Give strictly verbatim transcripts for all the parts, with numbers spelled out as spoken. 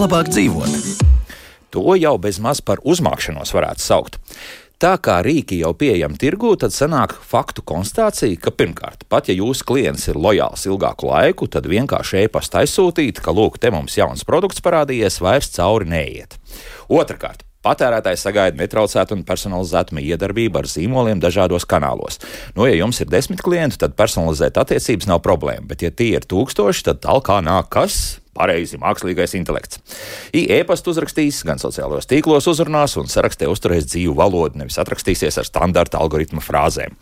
labāk dzīvot. To jau bez maz par uzmākšanos varētu saukt. Tā kā rīki jau pieejami tirgū, tad sanāk faktu konstatācija, ka pirmkārt, pat ja jūsu klients ir lojāls ilgāku laiku, tad vienkārši e-pasta aizsūtīt, ka lūk, te mums jauns produkts parādījies, vairs cauri neiet. Otrakārt, patērētājs sagaida netraucētu un personalizētu iedarbību ar zīmoliem dažādos kanālos. Nu, ja jums ir desmit klienti, tad personalizēt attiecības nav problēma, bet ja tie ir tūkstoši, tad talkā nāk kas? Pareizi, mākslīgais intelekts. E-pastu uzrakstīs, gan sociālajos tīklos uzrunās un sarakstē uzturēs dzīvu valodu, nevis atrakstīsies ar standarta algoritma frāzēm.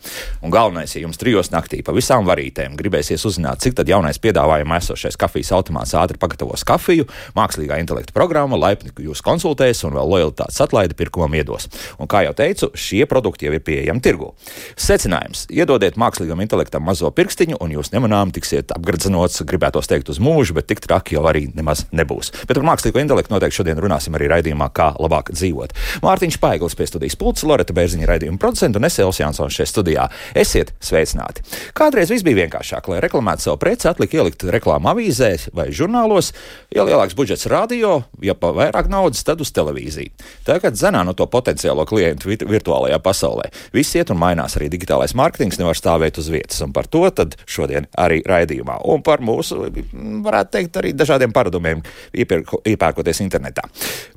Un galvenais, ja jums trijos naktī pa visām varītēm gribēsies uzzināt, cik tad jaunais piedāvājumā esošais kafijas automāts ātri pagatavos kafiju, mākslīgā intelekta programma laipni jūs konsultēs un vēl lojalitātes atlaidi pirkumam iedos. Un kā jau teicu, šie produkti jau ir pieejami tirgū. Secinājums: iedodiet mākslīgam intelektam mazo pirkstiņu un jūs nemanām tiksiet apgredzenots, gribētos teikt uz mūžu, bet tik traki jau arī nemaz nebūs. Bet par mākslīgo intelektu noteikti šodien runāsim arī raidījumā, kā labāk dzīvot. Mārtiņš Paiglis pie studijas pults, Loreta Bērziņa raidījuma producenta un es Elvis Jansons šeit studijā. Esiet sveicināti! Kādreiz viss bija vienkāršāk, lai reklamētu savu preci, atlika ielikt reklāmu avīzē vai žurnālos, ja lielāks budžets radio, ja pa vairāk naudas, tad uz televīziju. Tagad zenā no to potenciālo klientu virtuālajā pasaulē. Viss iet un mainās, arī digitālais mārketings nevar stāvēt uz vietas, un par to tad šodien arī raidījumā. Un par mūsu, varētu teikt, arī dažādiem paradumiem iepērko, iepērkoties internetā.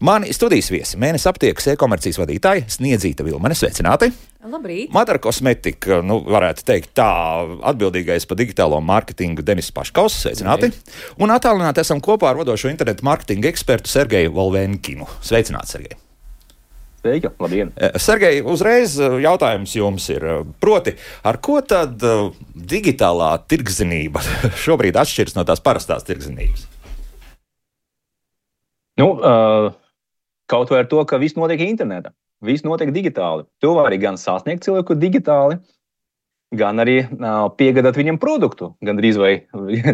Mani studijas viesi, Mēnesis aptiekas e-komercijas vadītāji Sniedzīta Vilmane, sveicināti! Labrīt! Madara Kosmetika, nu varētu teikt tā, atbildīgais par digitālo mārketingu Denis Paškaus, sveicināti! Labrīt. Un attālināti esam kopā ar vadošo internetu mārketinga ekspertu Sergeju Volvenkinu. Sveicināti, Sergej! Sveiki, labdien! Sergej, uzreiz jautājums jums ir, proti, ar ko tad digitālā tirgzinība šobrīd atšķiras no tās parastās tirgzinības? Nu, uh, kaut vai ar to, ka viss notiek internetā, viss notiek digitāli. Tu vari gan sasniegt cilvēku digitāli, gan arī uh, piegādāt viņam produktu, gan drīz vai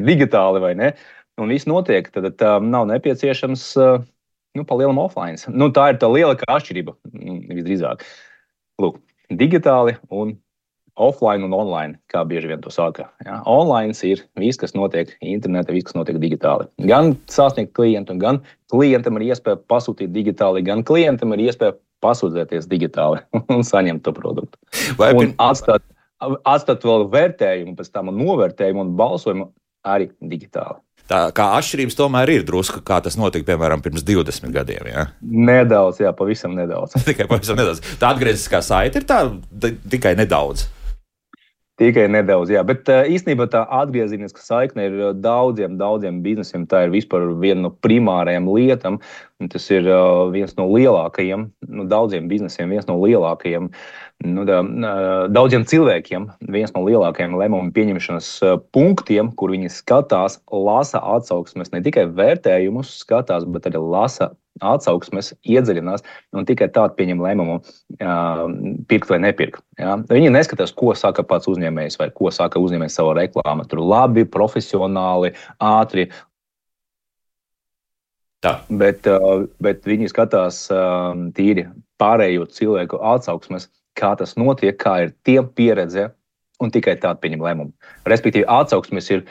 digitāli, vai ne? Un viss notiek, tad tā nav nepieciešams uh, nu, pa lielam offline. Nu, tā ir tā lielākā atšķirība, visdrīzāk. Lūk, digitāli un offline un online, kā bieži vien to saka. Ja? Online ir viss, kas notiek internetā, viss, kas notiek digitāli. Gan sasniegt klientu, gan klientam ir iespēja pasūtīt digitāli, gan klientam ir iespēja pasūdzēties digitāli un saņemt to produktu. Vai un atstāt, atstāt vēl vērtējumu, pēc tam novērtējumu un balsojumu arī digitāli. Tā kā atšķirības tomēr ir drusku, kā tas notika, piemēram, pirms divdesmit gadiem, jā? Nedaudz, jā, pavisam nedaudz. Tikai pavisam nedaudz. Tā atgrieziskā saite ir tā tikai nedaudz. Tikai nedaudz, jā, bet īstenībā tā atgriezeniska saikne ir daudziem, daudziem biznesiem, tā ir vispār viena no primārajām lietām, un tas ir viens no lielākajiem, nu, daudziem biznesiem, viens no lielākajiem, nu, da, daudziem cilvēkiem, viens no lielākajiem lēmumu pieņemšanas punktiem, kur viņi skatās, lasa atsauksmes, ne tikai vērtējumus skatās, bet arī lasa atsauksmes, iedziļinās un tikai tādu pieņem lēmumu uh, pirkt vai nepirkt. Ja? Viņi neskatās, ko saka pats uzņēmējs vai ko saka uzņēmējs savā reklāmā. Tur labi, profesionāli, ātri. Tā. Bet, uh, bet viņi skatās uh, tīri pārējo cilvēku atsauksmes, kā tas notiek, kā ir tiem pieredze un tikai tādu pieņem lēmumu. Respektīvi, atsauksmes ir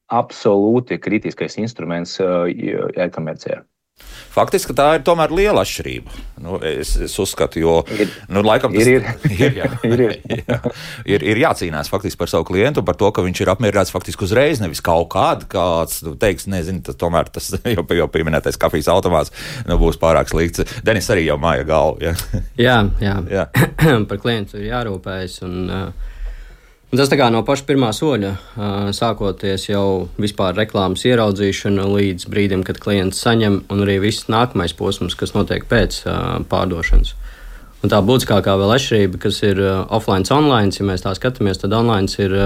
absolūti kritiskais instruments uh, e-komercijā. Faktiski tā ir tomēr liela atšķirība. Nu, es, es uzskatu, jo ir, nu, laikam tas ir, ir. ir, jā, ir, ir. Jā, ir, ir jācīnās faktiski par savu klientu, par to, ka viņš ir apmierināts faktiski uzreiz, nevis kaut kādu, kāds nu, teiks, nezinu, tas tomēr tas jau, jau pieminētais kafijas automāts nu, būs pārāk slikts. Denis arī jau māja galvu. Jā, jā. jā. jā. Par klientu ir jārūpējas un... Uh... Un tas tā kā no paša pirmā soļa, sākoties jau vispār reklāmas ieraudzīšana līdz brīdim, kad klients saņem, un arī viss nākamais posms, kas notiek pēc pārdošanas. Un tā būtiskākā vēl atšķirība, kas ir offline, online, ja mēs tā skatāmies, tad online ir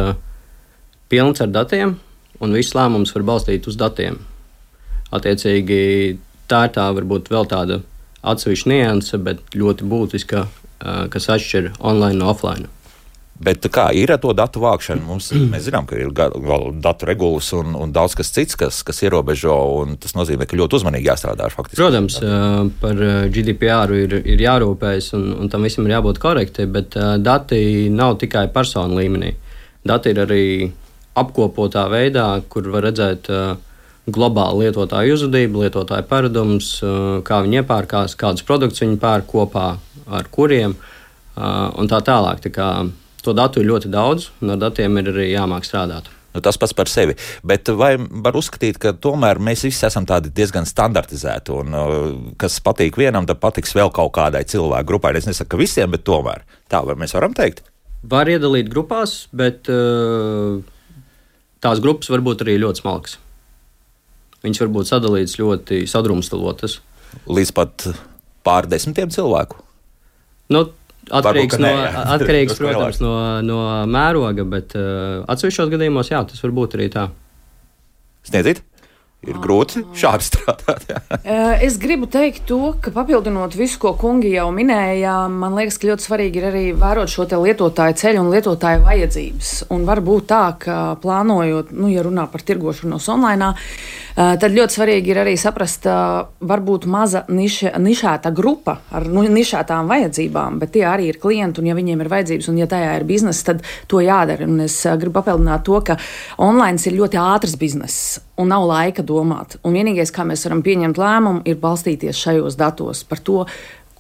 pilns ar datiem, un viss lēmums var balstīt uz datiem. Attiecīgi, tā ir tā varbūt vēl tāda atsevišķa nianse, bet ļoti būtiska, kas atšķir online no offline. Bet kā ir ar to datu vākšanu? Mums, mēs zinām, ka ir datu regulas un, un daudz kas cits, kas, kas ierobežo, un tas nozīmē, ka ļoti uzmanīgi jāstrādā. Faktiski. Protams, par G D P R ir, ir jārūpējas, un, un tam visam ir jābūt korekti, bet dati nav tikai personu līmenī. Dati ir arī apkopotā veidā, kur var redzēt globāli lietotāju uzvedība, lietotāju paradums, kā viņi iepērkās, kādus produktus viņi pērk kopā ar kuriem un tā tālāk. Tā kā to datu ir ļoti daudz, un ar datiem ir arī jāmāk strādāt. Nu, tas pats par sevi. Bet vai var uzskatīt, ka tomēr mēs visi esam tādi diezgan standartizēti, un kas patīk vienam, tad patiks vēl kaut kādai cilvēku grupai? Es nesaku, ka visiem, bet tomēr. Tā vai mēs varam teikt? Var iedalīt grupās, bet uh, tās grupas var būt arī ļoti smalkas. Viņas var būt sadalītas ļoti sadrumstalotas. Līdz pat pārdesmitiem cilvēku? Nu, Atkarīgs, Varbūt, no, nē, atkarīgs protams, no, no mēroga, bet uh, atsevišķos gadījumos, jā, tas var būt arī tā. Sniedzīt? Ir grūti šādi strādāt. Jā. Es gribu teikt to, ka papildinot visu, ko kungi jau minēja, man liekas, ka ļoti svarīgi ir arī vērot šo te lietotāju ceļu un lietotāju vajadzības. Un var būt tā, ka plānojot, nu, ja runā par tirgošanos online, tad ļoti svarīgi ir arī saprast, varbūt maza niša, nišēta grupa ar nu, nišētām vajadzībām, bet tie arī ir klienti, un ja viņiem ir vajadzības, un ja tajā ir bizness, tad to jādara. Un es gribu papildināt to, ka online ir ļoti ātrs bizness, un nav laika domāt. Un vienīgais, kā mēs varam pieņemt lēmumu, ir balstīties šajos datos par to,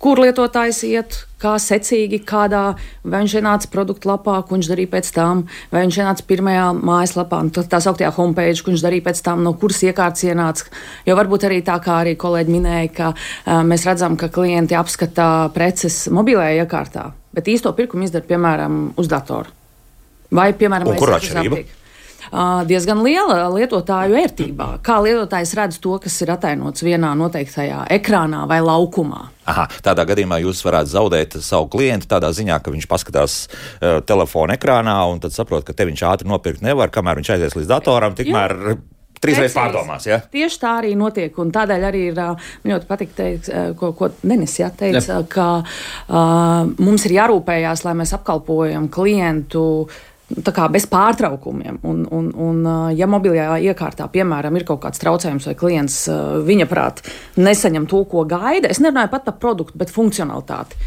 kur lietotājs iet, kā secīgi, kādā, vai viņš ienāca produktu lapā, ko viņš darīja pēc tam, vai viņš ienāca pirmajā mājaslapā, tā sauktajā homepage, ko viņš darīja pēc tam, no kuras iekārtas ienāca. Jo varbūt arī tā, kā arī kolēģi minēja, ka uh, mēs redzam, ka klienti apskata preces mobilajā iekārtā, bet īsto pirkumu izdara, piemēram, uz datoru. Vai, piemēram, un kur atšķirība? Diezgan liela lietotāju ērtībā. Kā lietotājs redz to, kas ir atainots vienā noteiktajā ekrānā vai laukumā. Aha, tādā gadījumā jūs varētu zaudēt savu klientu tādā ziņā, ka viņš paskatās uh, telefona ekrānā un tad saprot, ka te viņš ātri nopirkt nevar, kamēr viņš aizies līdz datoram, tikmēr trīsreiz pārdomās. Ja? Tieši tā arī notiek, un tādēļ arī ir, man ļoti patīk teikt, ko, ko Denis jā, teica, Jep. ka uh, mums ir jārūpējās, lai mēs apkalpojam klientu tā kā bez pārtraukumiem. Un, un, un, ja mobilajā iekārtā, piemēram, ir kaut kāds traucējums vai klients viņa prāt nesaņem to, ko gaida, es nerunāju pat par produktu, bet funkcionalitāti.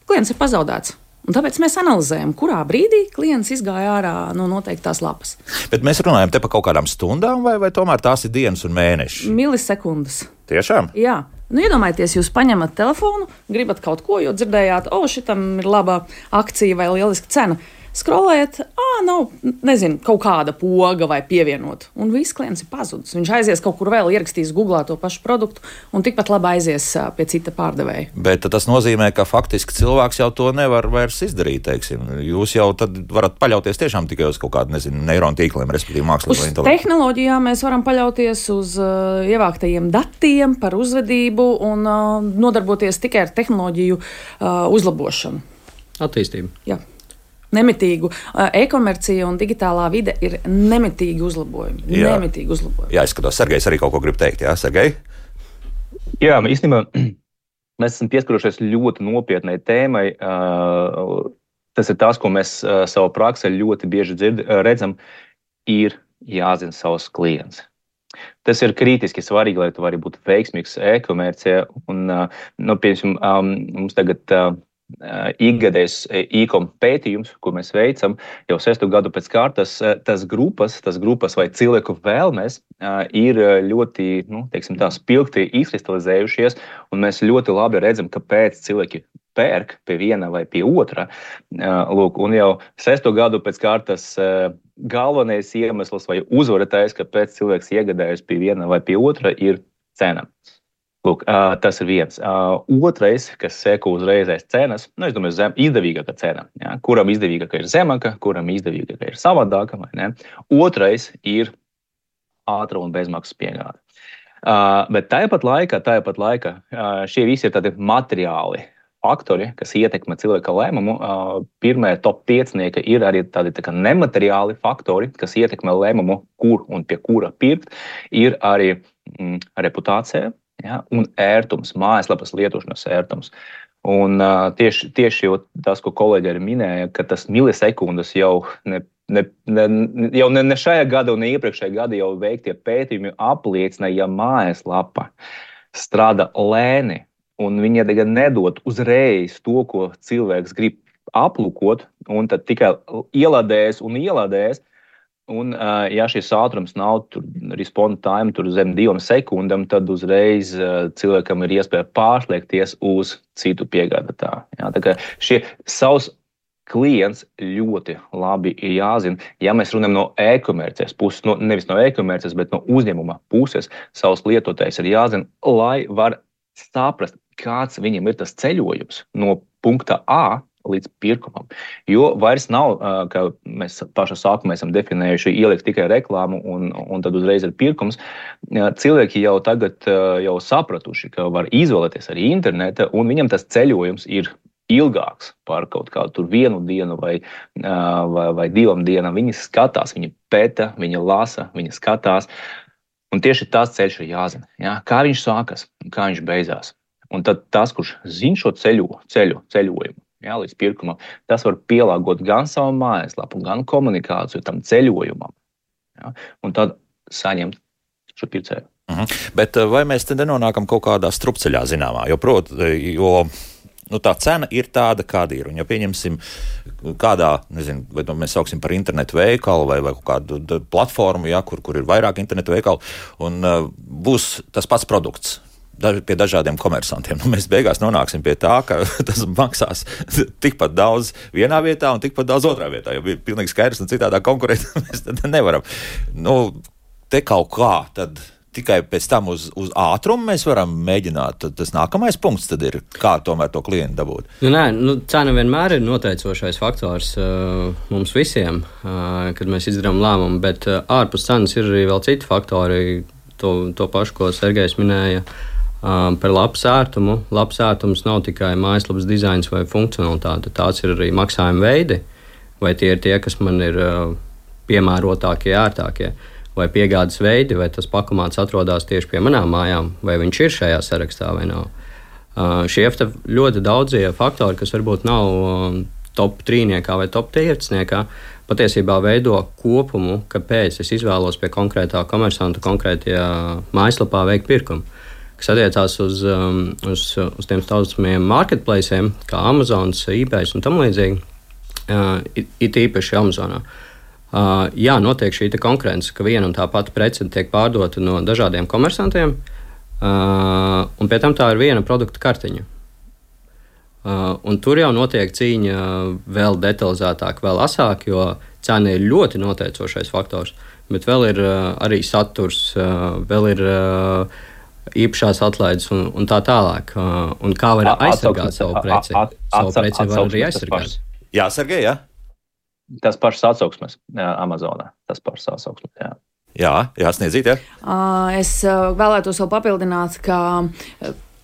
Klients ir pazaudēts. Un tāpēc mēs analizējam, kurā brīdī klients izgāja ārā no noteiktās lapas. Bet mēs runājam te par kaut kādām stundām, vai, vai tomēr tās ir dienas un mēneši? Milisekundes. Tiešām? Jā. Nu, iedomājieties, jūs paņemat telefonu, gribat kaut ko, jo dzirdējāt, o, šitam ir laba akcija vai lieliska cena. Skrolējat, ā, nav, nezinu, kaut kāda poga vai pievienot. Un viss klients ir pazudis. Viņš aizies kaut kur vēl, ierakstīs Googlā to pašu produktu un tikpat labi aizies pie cita pārdevēja. Bet tas nozīmē, ka faktiski cilvēks jau to nevar vairs izdarīt, teiksim. Jūs jau tad varat paļauties tiešām tikai uz kaut kādu, nezinu, neironu tīkliem, respektīvi mākslīgo intelektu. Uz tehnoloģijām mēs varam paļauties uz uh, ievāktajiem datiem par uzvedību un uh, nodarboties tikai ar tehnoloģiju uh, uzlabošanu. Attīstību. Jā. Nemitīgu. E-komercija un digitālā vide ir nemitīgi uzlabojumi. Jā. Nemitīgi uzlabojumi. Jā, es skatos, Sergejs arī kaut ko grib teikt, jā, Sergej? Jā, īstenībā mēs esam pieskarušies ļoti nopietnai tēmai. Tas ir tas, ko mēs savā praksē ļoti bieži dzird, redzam, ir jāzina savs klients. Tas ir kritiski svarīgi, lai tu vari būt veiksmīgs e-komercijā. Un, nu, piemēram, mums tagad ikgadējs e-kom pētījums, ko mēs veicam jau sesto gadu pēc kārtas, tas grupas, tas grupas vai cilvēku vēlmes ir ļoti, nu, teiksim tā, spilgti izkristalizējušies, un mēs ļoti labi redzam, kāpēc cilvēki pērk pie viena vai pie otra. Lūk, un jau sesto gadu pēc kārtas galvenais iemesls vai uzvaratājs, kāpēc cilvēks iegādājas pie viena vai pie otra, ir cena. Lūk, uh, tas ir viens. Uh, otrais, kas seko uzreizēs cenas, nu, es domāju, zem, izdevīgāka cena. Ja? Kuram izdevīgāka ir zemāka, kuram izdevīgāka ir savādāka, vai ne? Otrais ir ātra un bezmaksas piegāde. Uh, bet tāpat laikā, tāpat laikā uh, šie visi ir tādi materiāli faktori, kas ietekmē cilvēka lēmumu. Uh, pirmie top piecinieki ir arī tādi tā kā nemateriāli faktori, kas ietekmē lēmumu, kur un pie kura pirkt. Ir arī mm, reputācija. Ja, un ērtums, mājaslapas lietošanas ērtums. Un uh, tieši, tieši jau tas, ko kolēģi arī minēja, ka tas milisekundes jau ne, ne, ne, jau ne, ne šajā gada un ne iepriekšējā gada jau veiktie pētījumi apliecina, ja mājaslapa strādā lēni un viņa nedod uzreiz to, ko cilvēks grib aplūkot, un tad tikai ielādēs un ielādēs, Un, ja šis ātrums nav tur response time tur zem divām sekundēm, tad uzreiz cilvēkam ir iespēja pārslēgties uz citu piegādātāju. Ja, tā kā šie savs klients ļoti labi ir jāzina. Ja mēs runājam no e-komercijas puses, no, nevis no e-komercijas, bet no uzņēmuma puses, savs lietotājs ir jāzina, lai var saprast, kāds viņam ir tas ceļojums no punkta A līdz pirkumam. Jo vairs nav, kā mēs pašā sākumā esam definējuši, ielikt tikai reklāmu un, un tad uzreiz ir pirkums. Cilvēki jau tagad jau sapratuši, ka var izvēlēties arī interneta, un viņam tas ceļojums ir ilgāks par kaut kādu tur vienu dienu vai, vai, vai divām dienām. Viņi skatās, viņi pēta, viņi lasa, viņi skatās. Un tieši tas ceļš ir jāzina. Ja? Kā viņš sākas, kā viņš beidzās. Un tad tas, kurš zina šo ceļu, ceļu, ceļojumu, ja, līdz pirkumam, tas var pielāgot gan savu mājaslapu, gan komunikāciju tam ceļojumam. Ja? Un tad saņemt šo pircēju. Mhm. Bet vai mēs te nenonākam kaut kādā strupceļā zināmā? Jo, prot, jo nu, tā cena ir tāda, kāda ir. Un, ja pieņemsim kādā, nezinu, vai to mēs sauksim par internetu veikalu vai, vai kādu platformu, ja, kur, kur ir vairāk internetu veikalu, un uh, būs tas pats produkts daž, pie dažādiem komersantiem. Nu, mēs beigās nonāksim pie tā, ka tas maksās tikpat daudz vienā vietā un tikpat daudz otrā vietā, jo ir pilnīgi skaidrs un citādā konkurēt mēs tad nevaram. Nu, te kaut kā tad tikai pēc tam uz, uz ātrumu mēs varam mēģināt. Tad tas nākamais punkts tad ir, kā tomēr to klientu dabūt. Nu, nē, nu, cena vienmēr ir noteicošais faktors uh, mums visiem, uh, kad mēs izdarām lēmumu, bet uh, ārpus cenas ir arī vēl citi faktori, to, to pašu, ko Sergejs minēja, uh, par labs ērtumu. Labs ērtums nav tikai mājaslapas dizains vai funkcionalitāte, tās ir arī maksājuma veidi, vai tie ir tie, kas man ir uh, piemērotākie, ērtākie. Vai piegādes veidi, vai tas pakomāts atrodas tieši pie manām mājām, vai viņš ir šajā sarakstā vai nav. Uh, šie ļoti daudzie faktori, kas varbūt nav uh, top trīniekā vai top piecniekā, patiesībā veido kopumu, kāpēc es izvēlos pie konkrētā komersanta, konkrētajā mājaslapā veikt pirkumu. Kas attiecās uz, um, uz, uz tiem saucamiem marketplaciem, kā Amazons, eBay un tam līdzīgi, uh, it, it īpaši Amazonā. Uh, jā, notiek šī konkurence, ka viena un tā pati prece tiek pārdota no dažādiem komersantiem, uh, un pie tam tā ir viena produkta kartiņa. Uh, un tur jau notiek cīņa vēl detalizētāk, vēl asāk, jo cena ir ļoti noteicošais faktors, bet vēl ir uh, arī saturs, uh, vēl ir uh, īpašās atlaides un, un tā tālāk. Uh, un kā var aizsargāt savu preci? Savu preci var arī aizsargāt. Jā, Sergej, jā? Tas pašs atsauksmes Amazonā. Tas pašs atsauksmes, jā. Jā, jā, sniedzīt, jā. Es vēlētos vēl papildināt, ka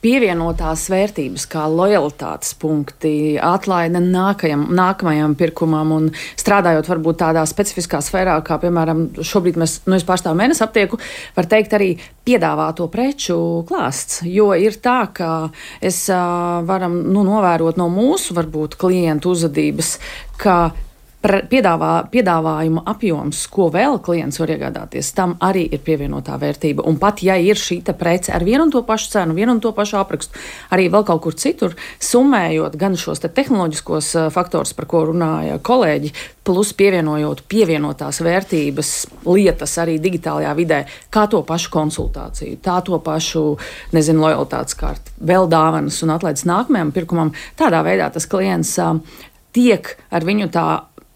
pievienotās vērtības, kā lojalitātes punkti, atlaide nākajam, nākamajam pirkumam un strādājot varbūt tādā specifiskā sfērā, kā piemēram šobrīd mēs, nu es pārstāvu mēnesi aptieku, var teikt arī piedāvāto preču klāsts, jo ir tā, ka es varam nu, novērot no mūsu varbūt klientu uzvedības, ka Piedāvā, piedāvājuma apjoms, ko vēl klients var iegādāties, tam arī ir pievienotā vērtība. Un pat, ja ir šī prece ar vienu un to pašu cenu, vienu un to pašu aprakstu, arī vēl kaut kur citur, summējot gan šos te tehnoloģiskos faktors, par ko runāja kolēģi, plus pievienojot pievienotās vērtības lietas arī digitālajā vidē, kā to pašu konsultāciju, tā to pašu, nezinu, lojalitātes karti, vēl dāvanas un atlaides nākamajam pirkumam, tādā veidā tas klients uh, tiek ar viņu tā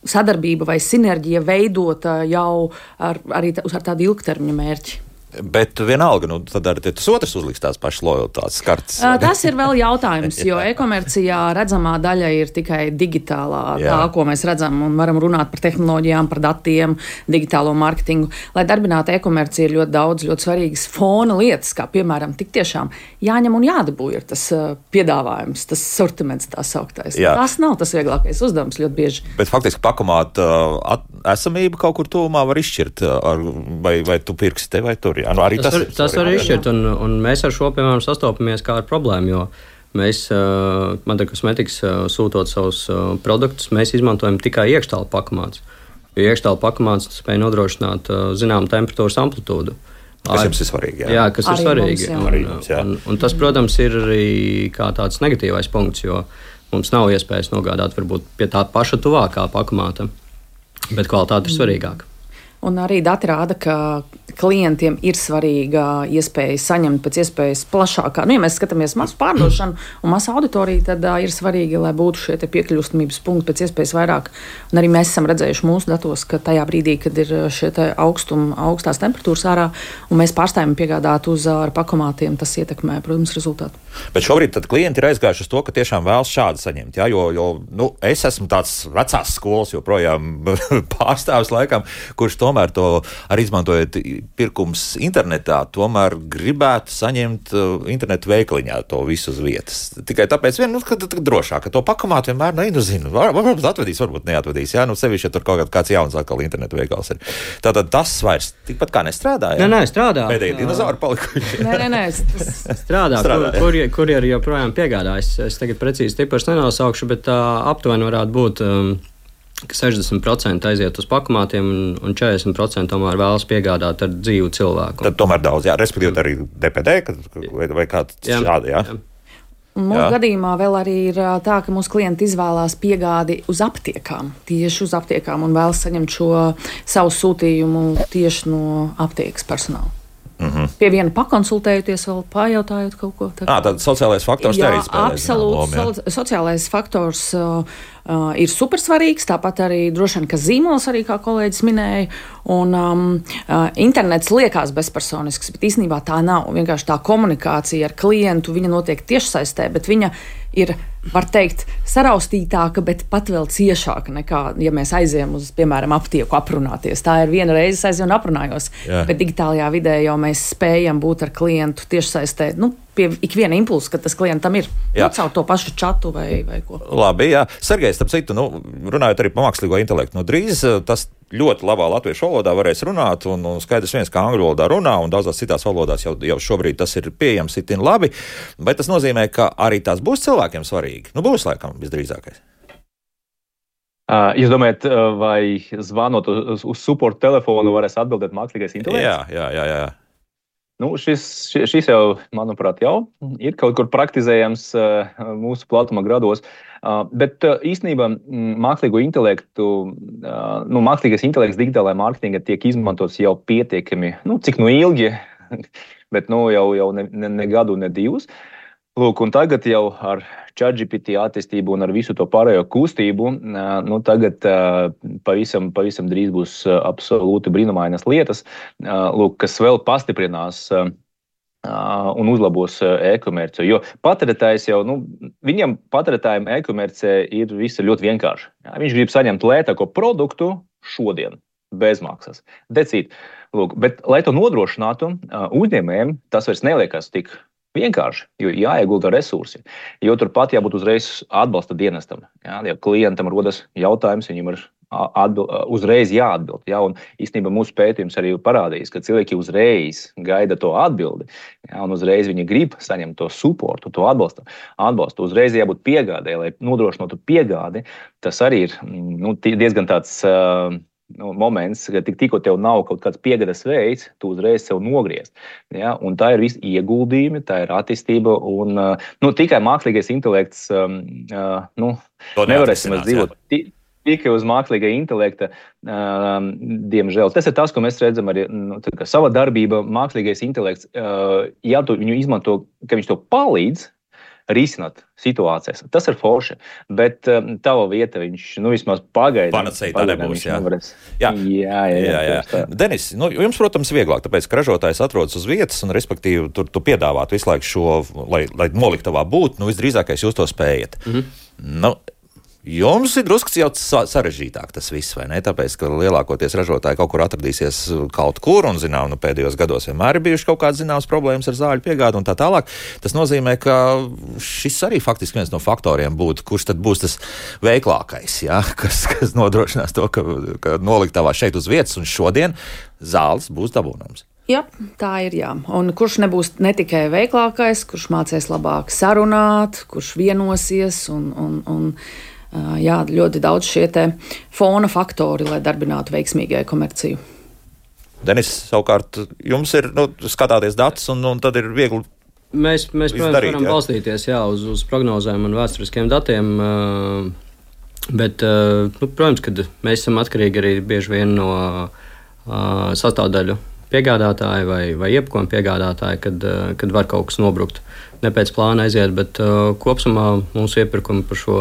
sadarbība vai sinerģija veidota jau ar, arī tā, ar tādu ilgtermiņa mērķi. Bet vienalga, nu, tad arī tas otrs uzliks tās pašas lojalitātes kartes. Tas ir vēl jautājums, jo e-komercijā redzamā daļa ir tikai digitālā, Jā. tā, ko mēs redzam, un varam runāt par tehnoloģijām, par datiem, digitālo mārketingu. Lai darbinātu e-komercija ir ļoti daudz, ļoti svarīgas fona lietas, kā piemēram tik tiešām jāņem un jādabū ir tas piedāvājums, tas sortiments tā sauktais. Jā. Tas nav tas vieglākais uzdevums ļoti bieži. Bet faktiski pakomāt at, esamību kaut kur tuvumā var izšķirt, ar, vai, vai tu pirksi te vai tur. Jā, nu arī tas, tas, var, tas var izšķirt, un, un mēs ar šo, piemēram, sastopamies kā ar problēmu, jo mēs, uh, Madara Kosmetikas, uh, sūtot savus uh, produktus, mēs izmantojam tikai iekštālu pakomāts. Jo iekštālu pakomāts spēj nodrošināt uh, zinām temperatūras amplitūdu. Kas jums ir svarīgi, jā? Jā, kas arī ir svarīgi. Mums, un, mums, un, un tas, protams, ir arī kā tāds negatīvais punkts, jo mums nav iespējas nogādāt varbūt pie tā paša tuvākā pakomāta, bet kvalitāte ir svarīgāka. Un arī dati rāda, ka klientiem ir svarīga iespēja saņemt pēc iespējas plašākā. Nu, ja mēs skatāmies masu pārdošanu un masu auditoriju, tad uh, ir svarīgi, lai būtu šie piekļūstamības punkti pēc iespējas vairāk. Un arī mēs esam redzējuši mūsu datos, ka tajā brīdī, kad ir šie augstuma, augstās temperatūras ārā, un mēs pārstājam piegādāt uz ar pakomātiem, tas ietekmē, protams, rezultātu. Bet šobrīd tad klienti ir aizgājuši uz to, ka tiešām vēlas šādi saņemt. Jā, jo, jo nu, es esmu tāds vecās skolas joprojām pārstāvis laikam, kurš tomēr to arī izmantojot pirkums internetā, tomēr gribētu saņemt uh, internetu veikaliņā to visu uz vietas. Tikai tāpēc, vien, nu, ka, ka drošāk, ka to pakomāt vienmēr, nu, nu zinu, var, varbūt atvedīs, varbūt neatvedīs, jā, nu, sevišķi, ja tur kaut kāds jauns atkal internetu veikals ir. Tātad tas vairs tikpat kā nestrādā, jā? Nē, nē, strādā. Pēdējie dinozauri palikuši. Nē, nē, nē, tas strādā, strādā kur, kur, kur ir joprojām piegādājis. Es tagad precīzi tipars nenosaukšu, bet uh, aptuveni varētu būt um, ka sešdesmit procenti aiziet uz pakomātiem un četrdesmit procenti tomēr vēlas piegādāt ar dzīvu cilvēku. Tad tomēr daudz, jā, respektīvi arī D P D vai, vai kāds šādi, jā. jā. Mūsu gadījumā vēl arī ir tā, ka mūsu klienti izvēlās piegādi uz aptiekām, tieši uz aptiekām un vēlas saņemt šo savu sūtījumu tieši no aptiekas personāla. Mm-hmm. Pie viena pakonsultējoties, vēl pajautājot kaut ko tādu. Ah, tad sociālais faktors jā, arī spēlē. Absolūti. So, sociālais faktors uh, uh, ir supersvarīgs, tāpat arī droši vien, ka zīmols arī, kā kolēģis minēja, un um, uh, internets liekas bezpersonisks, bet īstenībā tā nav. Vienkārši tā komunikācija ar klientu, viņa notiek tiešsaistē, bet viņa ir, var teikt, saraustītāka, bet pat vēl ciešāka nekā, ja mēs aizējam uz, piemēram, aptieku aprunāties. Tā ir viena reize aizēju un aprunājos, jā. Bet digitālajā vidē jau mēs spējam būt ar klientu tiešsaistē, nu, pie ikviena impulsa, ka tas klientam ir. Nu, caur to pašu čatu vai, vai ko. Labi, jā. Sergejs, starp citu, nu, runājot arī par mākslīgo intelektu, nu, drīz tas ļoti labā latviešu valodā varēs runāt, un, un skaidrs viens, kā angļu valodā runā, un daudzās citās valodās jau, jau šobrīd tas ir pieejams itin labi, bet tas nozīmē, ka arī tās būs cilvēkiem svarīgi. Nu, būs laikam visdrīzākais. Uh, jūs domājat, vai zvanot uz, uz support telefonu varēs atbildēt mākslīgais intelekts? Jā, jā, jā, jā. Nu, šis, šis jau, manuprāt, jau ir kaut kur praktizējams uh, mūsu platuma grados, uh, bet uh, īstenībā mākslīgo intelektu, uh, nu, mākslīgais intelekts digitālajā mārketingā tiek izmantots jau pietiekami, nu, cik nu ilgi, bet nu, jau, jau ne, ne, ne gadu, ne divus. Lūk, un tagad jau ar ChatGPT attīstību un ar visu to pārējo kustību, nu, tagad pavisam, pavisam drīz būs absolūti brīnumainas lietas, lūk, kas vēl pastiprinās un uzlabos e-komerciju. Jo patērētājs jau, nu, viņam patērētājiem e-komercija ir visa ļoti vienkārši. Viņš grib saņemt lētāko produktu šodien, bezmaksas. Decīt, lūk, bet, lai to nodrošinātu, uzņēmējiem tas vairs neliekas tik vienkārši, jo jāiegulda resursi, jo turpat jābūt uzreiz atbalsta dienestam. Jā, ja klientam rodas jautājums, viņam ir atbild, uzreiz jāatbild. Jā, un īstenībā mūsu pētījums arī parādījis, ka cilvēki uzreiz gaida to atbildi, jā, un uzreiz viņi grib saņemt to supportu, to atbalstu. atbalstu. Uzreiz jābūt piegādē, lai nodrošinātu piegādi. Tas arī ir nu, diezgan tāds uh, Nu, moments, ka tik, tikko tev nav kaut kāds piegādes veids, tu uzreiz sev nogriezt. Ja? Un tā ir visi ieguldījumi, tā ir attīstība, un nu, tikai mākslīgais intelekts um, uh, nu, nevarēsim dzīvot tikai uz mākslīgā intelekta, um, diemžēl. Tas ir tas, ko mēs redzam arī nu, sava darbība, mākslīgais intelekts, uh, ja tu viņu izmanto, ka viņš to palīdz risināt situācijas. Tas ir forši, bet um, tava vieta viņš, nu, vismaz pagaidām. Panacēja tā nebūs, jā. Jā, jā, jā. jā, jā, jā. Denis, nu, jums, protams, vieglāk, tāpēc, ka ražotājs atrodas uz vietas un, respektīvi, tur tu piedāvāt visu laiku šo, lai, lai noliktavā būtu, nu, visdrīzākais jūs to spējat. Mm-hmm. Nu, jums ir drusku jau sarežģītāk tas viss, vai ne? Tāpēc, ka lielākoties ražotāji kaut kur atradīsies kaut kur, un, zinām, nu, pēdējos gados vienmēr ir bijuši kaut kādas zināmas problēmas ar zāļu piegādi un tā tālāk. Tas nozīmē, ka šis arī faktiski viens no faktoriem būtu, kurš tad būs tas veiklākais, ja? kas, kas nodrošinās to, ka, ka noliktavā šeit uz vietas, un šodien zāles būs dabūnams. Jā, tā ir, jā. Un kurš nebūs ne tikai veiklākais, kurš mācīs labāk sarunāt, kurš vienosies un, un, un jā, ļoti daudz šie te fona faktori, lai darbinātu veiksmīgu e-komerciju. Denis, savukārt, jums ir, nu, skatāties datus, un, un tad ir viegli Mēs, mēs protams, darīt, varam jā. balstīties jā, uz, uz prognozēm un vēsturiskiem datiem, bet, nu, protams, kad mēs esam atkarīgi arī bieži vien no uh, sastāvdaļu piegādātāji vai, vai iepakojuma piegādātāji, kad, uh, kad var kaut kas nobrukt. Ne pēc plāna aiziet, bet uh, kopumā mūsu iepirkumi par šo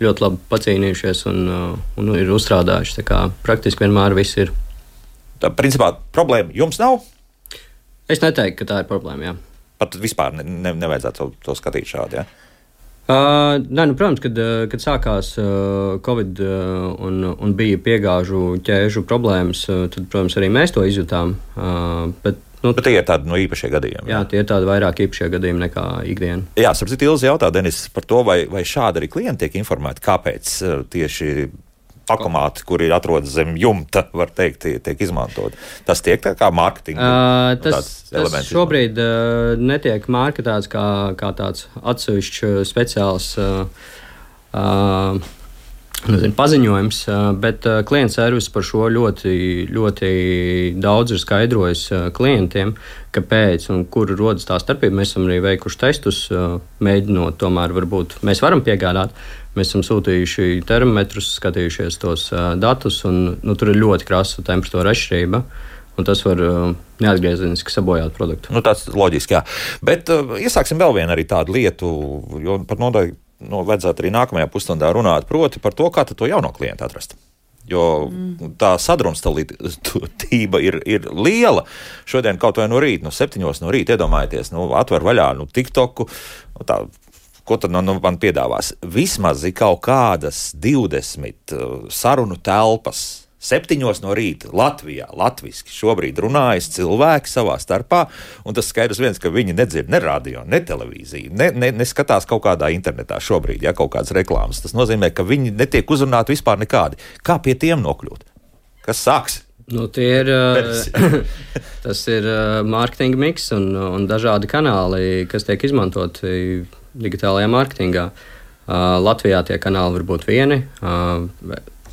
ļoti labi pacīnījušies un, uh, un ir uzstrādājuši. Tā kā praktiski vienmēr viss ir. Tā, principā, problēma jums nav? Es neteiktu, ka tā ir problēma, jā. Pat vispār ne, ne, nevajadzētu to, to skatīt šādi, jā? Uh, nē, nu, protams, kad, kad sākās uh, Covid uh, un, un bija piegāžu ķēžu problēmas, uh, tad, protams, arī mēs to izjutām. Uh, bet, nu, bet tie ir tādi no īpašie gadījumi. Jā, jā tie ir tādi vairāk īpašie gadījumi nekā ikdiena. Jā, sapratu, Ilzi jautā, Denis, par to, vai, vai šādi arī klienti tiek informēti, kāpēc uh, tieši pakomāti, kuri atrodas zem jumta, var teikt, tiek izmantot. Tas tiek tā kā mārketinga uh, tas, elements. Tas šobrīd uh, netiek mārketēts kā, kā tāds atsevišķs speciāls uh, uh, nezinu, paziņojums, uh, bet uh, klienta servis par šo ļoti, ļoti daudz ir skaidrojis uh, klientiem, kāpēc un kur rodas tā starpība. Mēs esam arī veikuši testus, uh, mēģinot tomēr varbūt mēs varam piegādāt. Mēs esam sūtījuši termometrus, skatījušies tos uh, datus, un nu, tur ir ļoti krasa temperatūra atšķirība. Tas var uh, neatgriezeniski sabojāt produktu. Nu, tas ir loģiski, jā. Bet uh, iesāksim vēl vienu arī tādu lietu, jo par nodaļu nu, vajadzētu arī nākamajā pusstundā runāt, proti par to, kā to jauno klientu atrast. Jo mm. tā sadrumstalība ir, ir liela. Šodien kaut vai no rīta, no septiņos no rīta, iedomājieties, nu, atver vaļā nu, TikToku, nu, tā. Ko tad nu, man piedāvās? Vismaz ir kaut kādas divdesmit uh, sarunu telpas. Septiņos no rīta Latvijā, latviski šobrīd runājas cilvēki savā starpā, un tas skaidrs viens, ka viņi nedzird ne radio, ne televīziju, ne, ne, neskatās kaut kādā internetā šobrīd, ja kaut kādas reklāmas. Tas nozīmē, ka viņi netiek uzrunāti vispār nekādi. Kā pie tiem nokļūt? Kas sāks? Nu, tie ir, tas ir mārketinga miks un, un dažādi kanāli, kas tiek izmantoti digitālajā mārketingā. Uh, Latvijā tie kanāli var būt vieni, uh,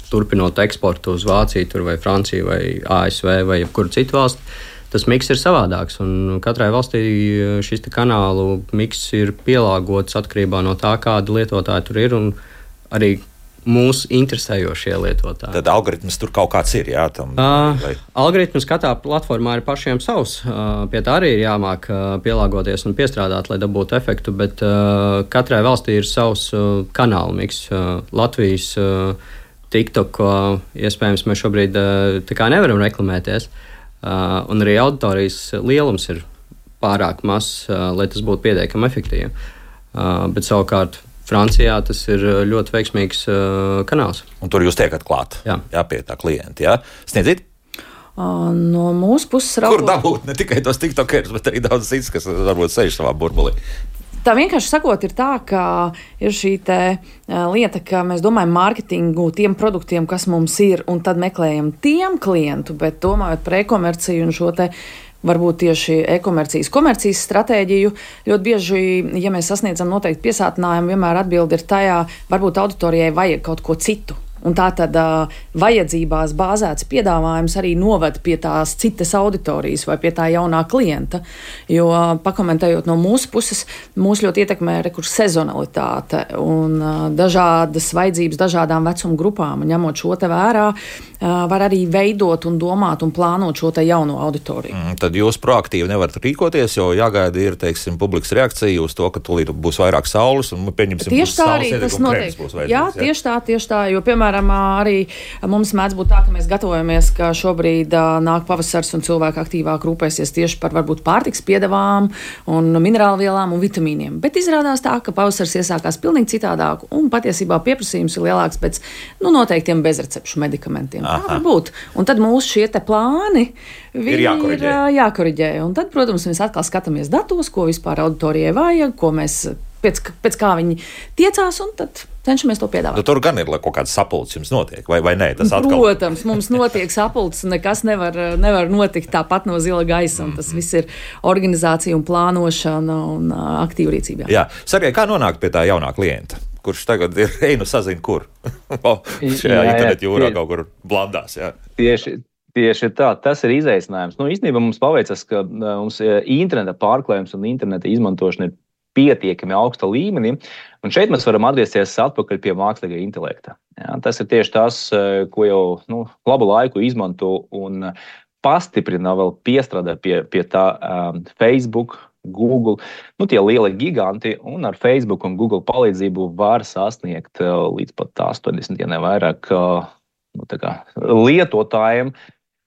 turpinot eksportu uz Vāciju, vai Franciju, vai A S V, vai jebkuru citu valsti. Tas miks ir savādāks, un katrai valstī šis kanālu miks ir pielāgots atkarībā no tā, kāda lietotāja tur ir, un arī mūsu interesējošie lietotāji. Tad algoritms tur kaut kāds ir, jā? Tam, uh, vai... Algoritms katrā platformā ir pašiem savs. Uh, pie tā arī ir jāmāk uh, pielāgoties un piestrādāt, lai dabūtu efektu, bet uh, katrai valstī ir savs uh, kanālu miks. Uh, Latvijas uh, TikTok, uh, iespējams, mēs šobrīd uh, tā kā nevaram reklamēties, uh, un arī auditorijas lielums ir pārāk mazs, uh, lai tas būtu pietiekami efektīvi. Uh, bet savukārt Francijā tas ir ļoti veiksmīgs uh, kanāls. Un tur jūs tiekat klāt, jā, jā pie tā klienta, jā? Sniedziet? Uh, no mūsu puses raugot... Kur dabūt ne tikai tos tiktokerus, bet arī daudz cits, kas varbūt sēž savā burbulī? Tā vienkārši sakot ir tā, ka ir šī te, uh, lieta, ka mēs domājam mārketingu tiem produktiem, kas mums ir, un tad meklējam tiem klientu, bet domājot par e-komerciju un šo te varbūt tieši e-komercijas, komercijas stratēģiju. Ļoti bieži, ja mēs sasniedzam noteikti piesātinājumu, vienmēr atbildi ir tajā, varbūt auditorijai vajag kaut ko citu. Un tā tad uh, vajadzībās bāzēts piedāvājums arī noved pie tās citas auditorijas vai pie tā jaunā klienta. Jo uh, pakomentējot no mūsu puses, mūs ļoti ietekmē rekurs sezonalitāte un uh, dažādas vajadzības dažādām vecuma grupām. Un ņemot šo te vērā, uh, var arī veidot un domāt un plānot šo te jauno auditoriju. Mm, tad jūs proaktīvi nevarat rīkoties, jo jāgaida ir, teiksim, publikas reakcija uz to, ka tūlīt būs vairāk saules un pieņemsim tieši tā arī tas notiek. Jā, tieši tā, tieši tā, jo, piemēram, arī mums mēdz būt tā, ka mēs gatavojamies, ka šobrīd uh, nāk pavasars un cilvēki aktīvāk rūpēsies tieši par varbūt pārtiks piedevām un minerālvielām un vitamīniem. Bet izrādās tā, ka pavasars iesākās pilnīgi citādāk un patiesībā pieprasījums ir lielāks pēc nu, noteiktiem bezrecepšu medikamentiem. Aha. Tā var būt. Un tad mūsu šie te plāni ir jākoriģē. ir uh, jākoriģē. Un tad, protams, mēs atkal skatāmies datos, ko vispār auditorijai vajag, ko mēs pēc, pēc kā viņi tiecās, un tad cenšamies to piedāvāt. Nu, tur gan ir kaut kāds sapulcs jums notiek, vai, vai nē? Tas atkal... Protams, mums notiek sapulcs, un nekas nevar, nevar notikt tāpat no zila gaisa, un tas viss ir organizācija un plānošana un uh, aktīva rīcība. Jā, Sergej, kā nonākt pie tā jaunā klienta, kurš tagad ir, ej, nu sazin, kur? Šajā internetu jūrā kaut kur blandās, jā. Tieši. Tieši tā, tas ir izaicinājums. Nu, īstenībā mums paveicas, ka mums interneta pārklājums un interneta izmantošana ir pietiekami augsta līmenī, un šeit mēs varam atgriezties atpakaļ pie mākslīgā intelekta. Jā, tas ir tieši tas, ko jau nu, labu laiku izmanto un pastiprina vēl piestrādā pie, pie tā um, Facebook, Google, nu tie lielie giganti, un ar Facebook un Google palīdzību var sasniegt uh, līdz pat astoņdesmit, ja ne vairāk uh, nu, tā kā, lietotājiem.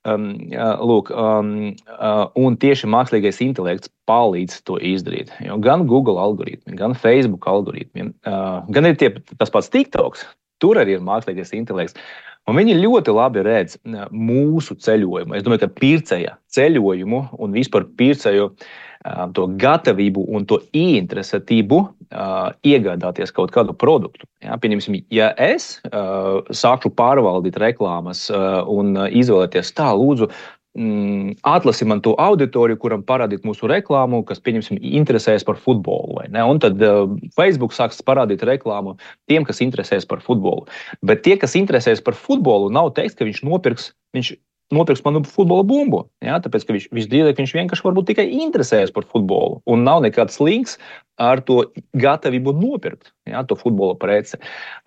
Um, uh, lūk, um, uh, un tieši mākslīgais intelekts palīdz to izdarīt. Jo gan Google algoritmi, gan Facebook algoritmi, uh, gan ir tie, tas pats TikToks, tur arī ir mākslīgais intelekts. Un viņi ļoti labi redz mūsu ceļojumu. Es domāju, ka pircēja ceļojumu un vispār pircēju uh, to gatavību un to ieinteresētību uh, iegādāties kaut kādu produktu. Ja, pieņemsim, ja es uh, sākšu pārvaldīt reklāmas uh, un izvēlēties tā, lūdzu, mm, atlasi man to auditoriju, kuram parādīt mūsu reklāmu, kas, pieņemsim, interesējas par futbolu. Vai ne? Un tad uh, Facebook sāks parādīt reklāmu tiem, kas interesējas par futbolu. Bet tie, kas interesējas par futbolu, nav teiks, ka viņš nopirks, viņš nopirks manu futbola bumbu. Ja? Tāpēc, ka viņš, viņš drīzāk viņš vienkārši varbūt tikai interesējas par futbolu. Un nav nekāds links ar to gatavību nopirkt, ja? To futbola preci.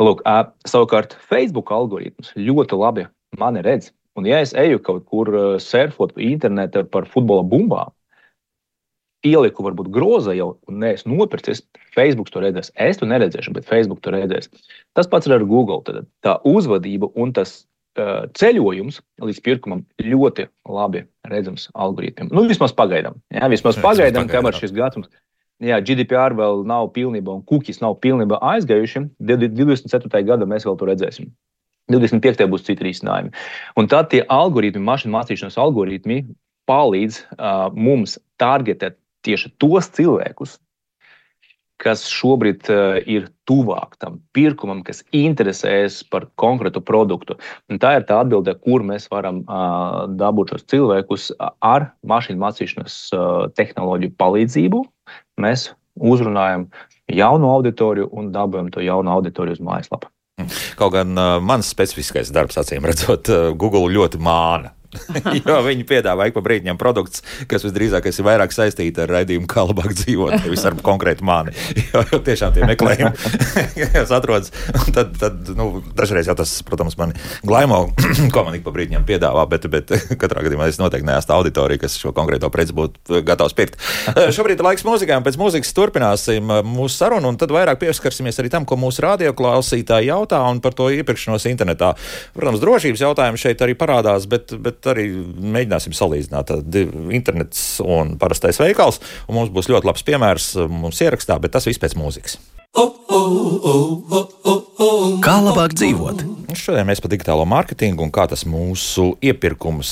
Lūk, uh, savukārt Facebook algoritms ļoti labi mani redz. Un ja es eju kaut kur surfot internetā par futbola bumbām, ieliku varbūt groza jau, un ne es nopircis, Facebook to redzēs. Es to neredzēšu, bet Facebook to redzēs. Tas pats ir ar Google. Tad tā uzvadība un tas uh, ceļojums līdz pirkumam ļoti labi redzams algoritmiem. Nu, vismaz pagaidām. Jā, vismaz pagaidām, kamēr šis gatums. Jā, G D P R vēl nav pilnībā un cookies nav pilnībā aizgājuši. divdesmit ceturtajā gadā mēs vēl to redzēsim. divdesmit piektajā būs citi risinājumi. Un tad tie algoritmi, mašīnu mācīšanas algoritmi palīdz uh, mums targetēt tieši tos cilvēkus, kas šobrīd uh, ir tuvāk tam pirkumam, kas interesēs par konkrētu produktu. Un tā ir tā atbilde, kur mēs varam uh, dabūt šos cilvēkus ar mašīnu mācīšanas uh, tehnoloģiju palīdzību. Mēs uzrunājam jaunu auditoriju un dabūjam to jaunu auditoriju uz mājaslapu. Kaut gan uh, mans specifiskais darbs, acīm redzot, uh, Google ļoti māna. Jo viņi piedāvā ik pa brīdiņam produktus, kas visdrīzāk ir vairāk saistīti ar raidījumu Kā labāk dzīvot, nevis ar konkrētu mani. Jo, jo tiešām tie meklējumi, kas atrodas, tad, tad nu, dažreiz jau tas, protams, mani glaimo, ko man ik pa brīdiņam piedāvā, bet, bet katrā gadījumā es noteikti neesmu auditorija, kas šo konkrēto preci būtu gatavs pirkt. Šobrīd ir laiks mūzikai, un pēc mūzikas turpināsim mūsu sarunu, un tad vairāk pieskarsimies arī tam, ko mūsu radioklausītāji jautā, un par to iepirkšanos internetā. Protams, drošības jautājumi šeit arī parādās, bet, bet arī mēģināsim salīdzināt internets un parastais veikals, un mums būs ļoti labs piemērs mums ierakstā, bet tas viss pēc mūzikas. Kā labāk dzīvot? Šodien mēs par digitālo mārketingu un kā tas mūsu iepirkums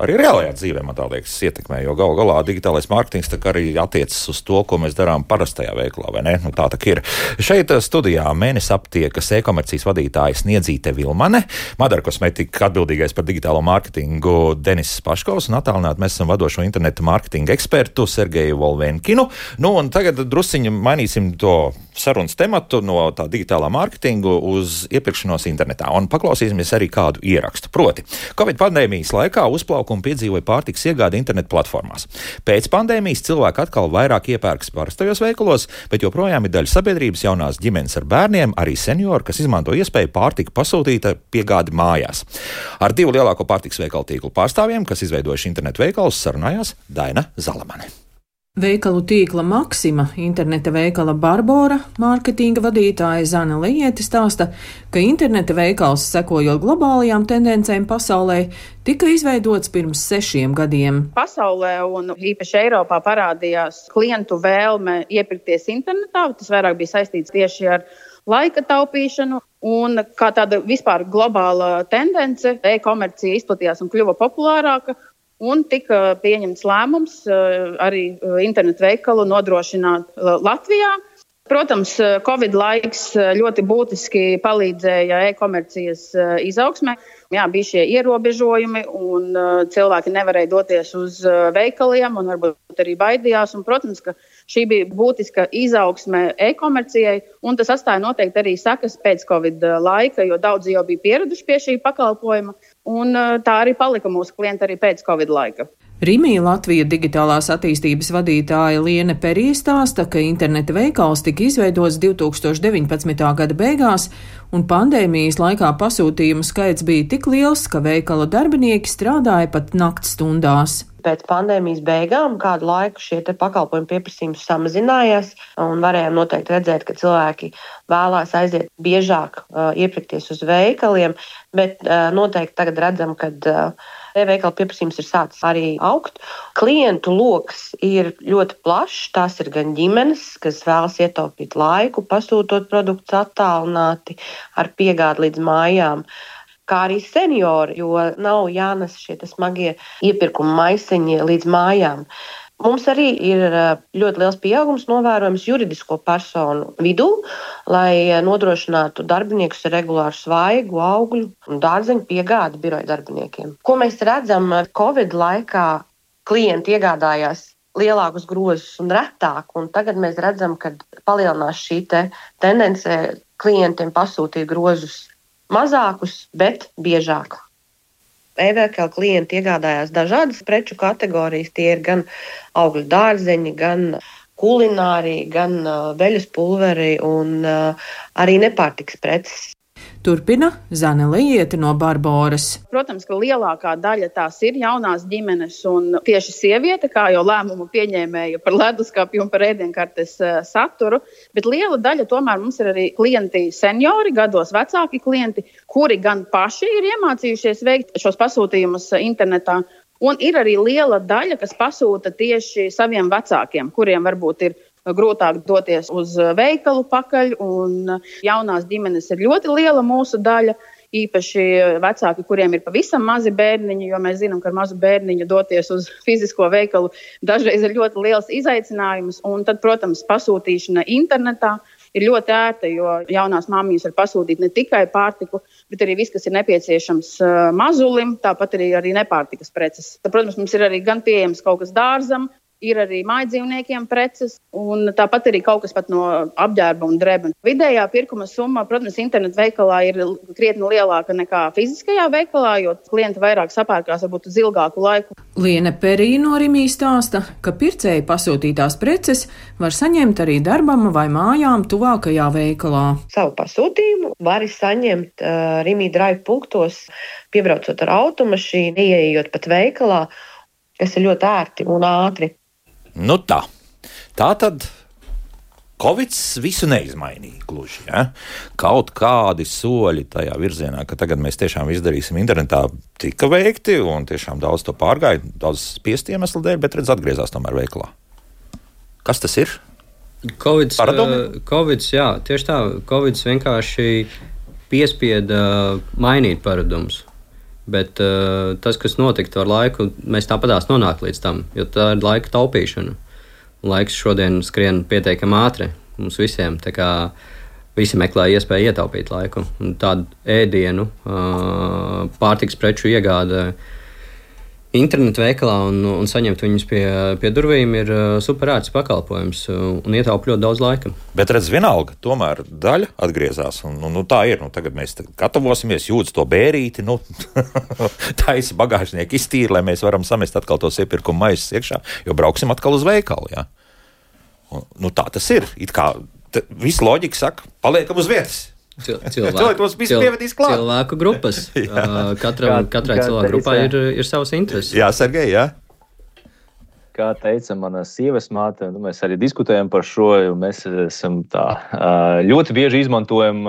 arī reālajā dzīvē, man tā liekas, ietekmē, jo galu galā digitālais mārketings tā kā arī attiecas uz to, ko mēs darām parastajā veiklā, vai ne? Nu, tā tā ir. Šeit studijā Mēnes aptiekas e-komercijas vadītāja Sniedzīte Vilmane, Madara kosmetika atbildīgais par digitālo mārketingu Denis Paškovs un attālināt mēs esam vadošo internetu mārketinga ekspertu Sergeju Volvenkinu. Nu, un tagad drusciņi mainīsim to sarunas tematu no tā digitālā mārketingu uz iepirkšanos internetā. Un paklausīsimies arī kādu ierakstu. Proti, Covid pandēmijas laikā uzplaukumu piedzīvoja pārtikas iegāde internetu platformās. Pēc pandēmijas cilvēki atkal vairāk iepērkas parastajos veikalos, bet joprojām ir daļa sabiedrības jaunās ģimenes ar bērniem, arī seniori, kas izmanto iespēju pārtiku pasūtīt piegādi mājās. Ar divu lielāko pārtikas veikalu tīklu pārstāvjiem, kas izveidojuši internetu veikalus, sarunājās Daina Zalamane. Veikalu tīkla Maksima, interneta veikala Barbora, mārketinga vadītāja Zana Lieti stāsta, ka interneta veikals, sekojot globālajām tendencēm pasaulē, tika izveidots pirms sešiem gadiem. Pasaulē un īpaši Eiropā parādījās klientu vēlme iepirkties internetā. Tas vairāk bija saistīts tieši ar laika taupīšanu. Un kā tāda vispār globāla tendence, e-komercija izplatījās un kļuva populārāka. Un tika pieņemts lēmums arī internetu veikalu nodrošināt Latvijā. Protams, Covid laiks ļoti būtiski palīdzēja e-komercijas izaugsmē. Jā, bija šie ierobežojumi un cilvēki nevarēja doties uz veikaliem un varbūt arī baidījās. Un, protams, ka šī bija būtiska izaugsme e-komercijai un tas atstāja noteikti arī sekas pēc Covid laika, jo daudzi jau bija pieraduši pie šī pakalpojuma. Un tā arī palika mūsu klienti arī pēc Covid laika. Rimī Latvija digitālās attīstības vadītāja Liene Perija stāsta, ka interneta veikals tika izveidots divi tūkstoši deviņpadsmitā gada beigās, un pandēmijas laikā pasūtījumu skaits bija tik liels, ka veikala darbinieki strādāja pat naktstundās. Pēc pandēmijas beigām kādu laiku šie te pakalpojumu pieprasījums samazinājās, un varējām noteikti redzēt, ka cilvēki vēlās aiziet biežāk uh, iepirkties uz veikaliem, bet uh, noteikti tagad redzam, ka uh, e-veikala pieprasījums ir sācis arī augt. Klientu loks ir ļoti plašs, tās ir gan ģimenes, kas vēlas ietaupīt laiku, pasūtot produktus attālināti ar piegādi līdz mājām, kā arī seniori, jo nav jānes šie smagie iepirkuma maisiņi līdz mājām. Mums arī ir ļoti liels pieaugums novērojams juridisko personu vidū, lai nodrošinātu darbiniekus ar regulāru svaigu, augļu un dārzeņu piegādi biroja darbiniekiem. Ko mēs redzam, Covid laikā klienti iegādājās lielākus grozus un retāk, un tagad mēs redzam, ka palielinās šī te tendence klientiem pasūtīt grozus mazākus, bet biežāk. E-veikala klienti iegādājās dažādas preču kategorijas. Tie ir gan augļu dārzeņi, gan kulinārija, gan veļas pulveri un arī nepārtikas preces. Turpina Zane Liete no Barboras. Protams, ka lielākā daļa tās ir jaunās ģimenes un tieši sieviete, kā jau lēmumu pieņēmēja par leduskapju un par ēdienkartes saturu, bet liela daļa tomēr mums ir arī klienti seniori, gados vecāki klienti, kuri gan paši ir iemācījušies veikt šos pasūtījumus internetā, un ir arī liela daļa, kas pasūta tieši saviem vecākiem, kuriem varbūt ir grūtāk doties uz veikalu pakaļ, un jaunās ģimenes ir ļoti liela mūsu daļa, īpaši vecāki, kuriem ir pavisam mazi bērniņi, jo mēs zinām, ka ar mazu bērniņu doties uz fizisko veikalu dažreiz ir ļoti liels izaicinājums, un tad, protams, pasūtīšana internetā ir ļoti ērta, jo jaunās māmiņas var pasūtīt ne tikai pārtiku, bet arī viss, kas ir nepieciešams mazulim, tāpat arī, arī nepārtikas preces. Tad, protams, mums ir arī gan pieejams kaut kas dārzam, ir arī mājdzīvniekiem preces, un tāpat arī kaut kas pat no apģērba un drēba. Vidējā pirkuma summa, protams, internetu veikalā ir krietni lielāka nekā fiziskajā veikalā, jo klienti vairāk sapērkās varbūt uz ilgāku laiku. Liene Perija no Rimī stāsta, ka pircēji pasūtītās preces var saņemt arī darbam vai mājām tuvākajā veikalā. Savu pasūtījumu var saņemt uh, Rimī drive punktos, piebraucot ar automašīnu, ieejot pat veikalā, kas ir ļoti ērti un ātri. Nu tā, tā tad Covids visu neizmainīja gluži. Ja? Kaut kādi soļi tajā virzienā, ka tagad mēs tiešām izdarīsim internetā, tika veikti un tiešām daudz to pārgāja, daudz spiesti iemeslu dēļ, bet redz atgriezās tomēr veikalā. Kas tas ir? Covids, uh, Covids, jā, tieši tā, Covids vienkārši piespieda mainīt paradumus. Bet uh, tas, kas notika ar laiku, mēs tāpatās nonāk līdz tam, jo tā ir laika taupīšana. Laiks šodien skrien pietiekami ātri mums visiem, tā kā visi meklē iespēju ietaupīt laiku. Un tādu ēdienu, uh, pārtikas preču iegāde internetu veikalā un, un saņemt viņus pie, pie durvīm ir uh, superērts pakalpojums un ietaupa ļoti daudz laika. Bet redz, vienalga, tomēr daļa atgriezās. Un, nu, nu, tā ir. Nu, tagad mēs gatavosimies, jūdz to bērīti, nu, taisi bagāžnieku iztīri, lai mēs varam samest atkal tos iepirkuma maisus iekšā, jo brauksim atkal uz veikalu. Ja? Un, nu, tā tas ir. It kā viss loģika saka, paliekam uz vietas. Cilvēku, cilvēku, cilvēku grupas. Katra, katrai cilvēku grupai ir, ir savas intereses. Jā, Sergej, jā. Kā teica mana sievas māte, mēs arī diskutējam par šo, jo mēs esam tā ļoti bieži izmantojam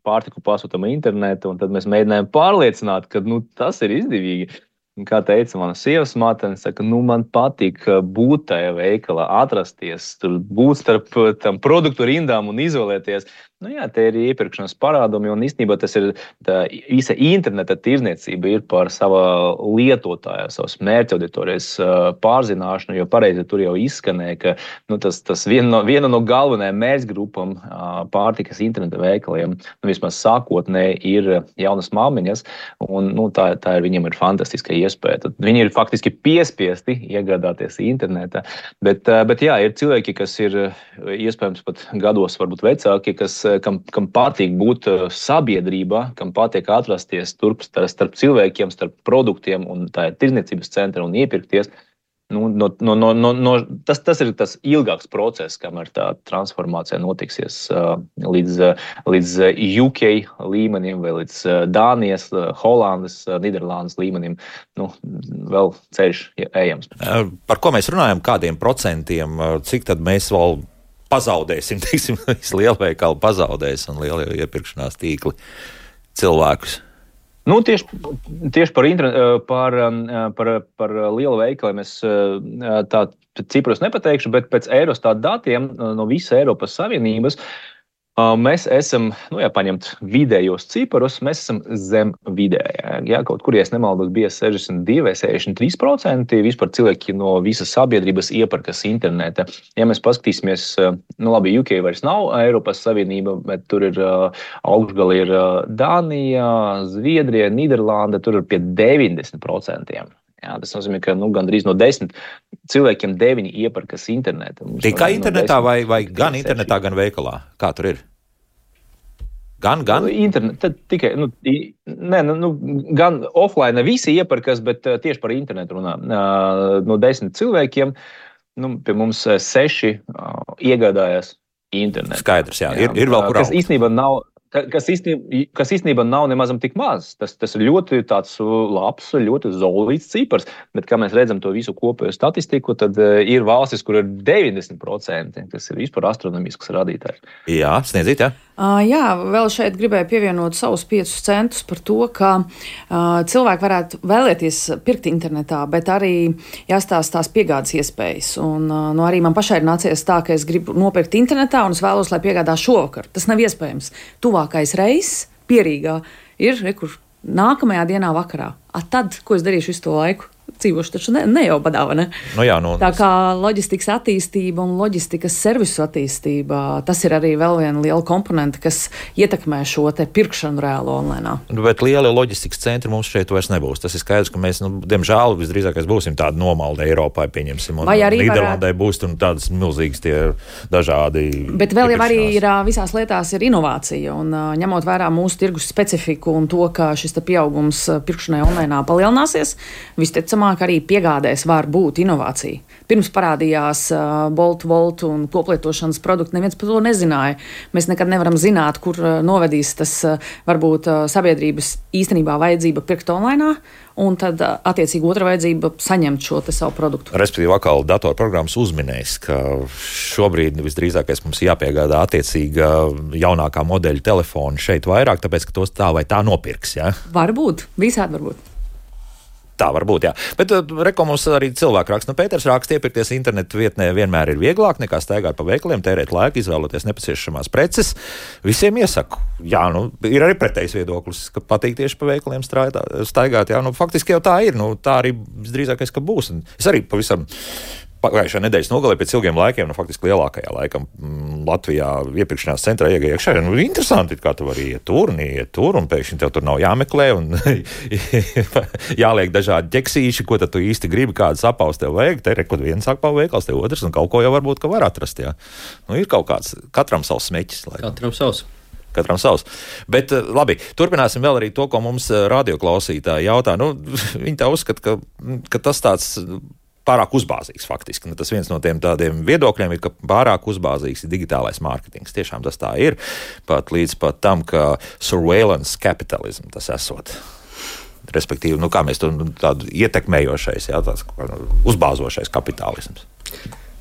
pārtiku pasūtam internetu, un tad mēs mēģinājām pārliecināt, ka nu, tas ir izdevīgi. Un kā teica mana sievas māte, saka, nu, man patīk būt tajā veikalā, atrasties, tur būt starp tam produktu rindām un izolēties. Nu jā, te ir iepirkšanas parādumi, un īstenībā tas ir tā īsa interneta tirzniecība ir par savā lietotāja, savas mērķa auditorijas pārzināšanu, jo pareizi tur jau izskanēja, ka nu, tas, tas viena, no, viena no galvenajām mērķgrupām pārtikas interneta veikaliem, nu, vismaz sākotnēji ir jaunas māmiņas, un nu, tā, tā ir viņiem ir fantastiska iespēja. Tad viņi ir faktiski piespiesti iegādāties internetā. Bet, bet jā, ir cilvēki, kas ir iespējams pat gados varbūt vecāki, kas, kam, kam patīk būt sabiedrībā, kam patīk atrasties turp starp cilvēkiem, starp produktiem un tā ir tirdzniecības centra un iepirkties. Nu, no, no, no, no, no, tas, tas ir tas ilgāks process, kamēr tā transformācija notiksies uh, līdz, uh, līdz U K līmenim vai līdz uh, Dānijas, uh, Holandas, uh, Nīderlandes līmenim. Nu, vēl ceļš ejams. Par ko mēs runājam, kādiem procentiem, cik tad mēs vēl pazaudēsim, teiksim, lielveikali pazaudēs un lielie iepirkšanās tīkli cilvēkus? Nu, tieši, tieši par, par, par, par lielu veikaliem es tā ciprus nepateikšu, bet pēc Eurostat datiem no visas Eiropas Savienības mēs esam, nu, ja paņemt vidējos ciparus, mēs esam zem vidējā. Ja, kaut kur, ja es nemaldos, bija sešdesmit divi vai sešdesmit trīs procenti vispār cilvēki no visas sabiedrības iepirkas interneta. Ja mēs paskatīsimies, nu labi, U K vairs nav Eiropas Savienība, bet tur ir augšgali ir Dānija, Zviedrija, Nīderlanda, tur ir pie deviņdesmit procentiem. Jā, tas nozīmē, ka nu, gandrīz no desmit cilvēkiem deviņi iepirkas internetā. Tikai internetā no vai, vai gan internetā, gan veikalā? Kā tur ir? Gan, gan? Internet, tikai, nu, ne, nu, gan offline visi iepirkas, bet tieši par internetu runā. No desmit cilvēkiem, nu, pie mums seši iegādājas internetu. Skaidrs, jā, jā. Ir, ir vēl kur augt. Kas īstenībā nav... Kas īstenībā, kas īstenībā nav nemazam tik maz. Tas, tas ir ļoti tāds labs, ļoti zolīts cipars, bet kā mēs redzam to visu kopējo statistiku, tad ir valstis, kur ir deviņdesmit procenti. Tas ir vispār astronomisks rādītājs. Jā, sniedzīt, jā. Uh, jā, vēl šeit gribēju pievienot savus piecus centus par to, ka uh, cilvēki varētu vēlēties pirkt internetā, bet arī jāstāsta tās piegādes iespējas. Un, uh, nu, arī man pašai ir nācies tā, ka es gribu nopirkt internetā un es vēlos, lai piegādā šovakar. Tas nav iespējams. Tuvākais reizes Pierīgā ir, re, kur nākamajā dienā vakarā. A tad, ko es darīšu visu to laiku? Dzīvošu taču ne, ne jau badā, vai ne? Nu jā, nu, tā kā loģistikas attīstība un loģistikas servisu attīstība, tas ir arī vēl viena liela komponente, kas ietekmē šo te pirkšanu reālo online. Bet liela loģistikas centri mums šeit vairs nebūs. Tas ir skaidrs, ka mēs, nu, diemžēl, visdrīzākais būsim tādi nomaldi Eiropā, pieņemsim, un Nīderlandē varētu... būs un tādas milzīgas tie dažādi. Bet vēl jau arī ir visās lietās ir inovācija, un ņemot vērā mūsu tirgus specifiku un to, ka šis te pieaugums pirkšanai online palielināsies, visticamāk arī piegādēs var būt inovācija. Pirms parādījās uh, Bolt, Volt un koplietošanas produkti, neviens par to nezināja. Mēs nekad nevaram zināt, kur uh, novedīs tas uh, varbūt uh, sabiedrības īstenībā vajadzība pirkt online, un tad uh, attiecīgi otra vajadzība saņemt šo te savu produktu. Respektīvi, atkal datorprogrammas uzminējis, ka šobrīd visdrīzākais mums jāpiegādā attiecīga jaunākā modeļa telefona šeit vairāk, tāpēc, ka tos tā vai tā nopirks, jā? Varbūt, visādi varbūt. Tā var būt, jā. Bet reko mums arī cilvēki raksta. Nu, Pēters raksta, iepirkties internetu vietnē vienmēr ir vieglāk nekā staigāt pa veikaliem, tērēt laiku, izvēloties nepieciešamās preces. Visiem iesaku. Jā, nu, ir arī pretējs viedoklis, ka patīk tieši pa veikaliem strādā, staigāt. Jā, nu, faktiski jau tā ir. Nu, tā arī visdrīzākais, ka būs. Un es arī pavisam pagājušā nedēļas nogalē pēc ilgiem laikiem, nu, faktiski lielākajā laikam Latvijā iepirkšanās centrā iegāja iekšā. Nu, interesanti, kā tu vari iet tur un iet tur, un pēkšņi tev tur nav jāmeklē, un jāliek dažādi ķeksīši, ko tad tu īsti gribi, kādas apaus tev vajag. Te ir, kad viens apavu veikals, te otrs, un kaut ko jau varbūt, ka var atrast, jā. Nu, ir kaut kāds, katram savs smeķis. Lai... Katram savs. Katram savs. Bet labi, turpināsim vēl arī to, ko mums radioklausītāji jautā. Nu, viņi tā uzskata, ka, ka tas tāds pārāk uzbāzīgs faktiski. Nu, tas viens no tiem tādiem viedokļiem ir, ka pārāk uzbāzīgs ir digitālais mārketings. Tiešām tas tā ir. Pat līdz pat tam, ka surveillance capitalism tas esot. Respektīvi, nu kā mēs to tādu ietekmējošais, jā, tāds uzbāzošais kapitālisms.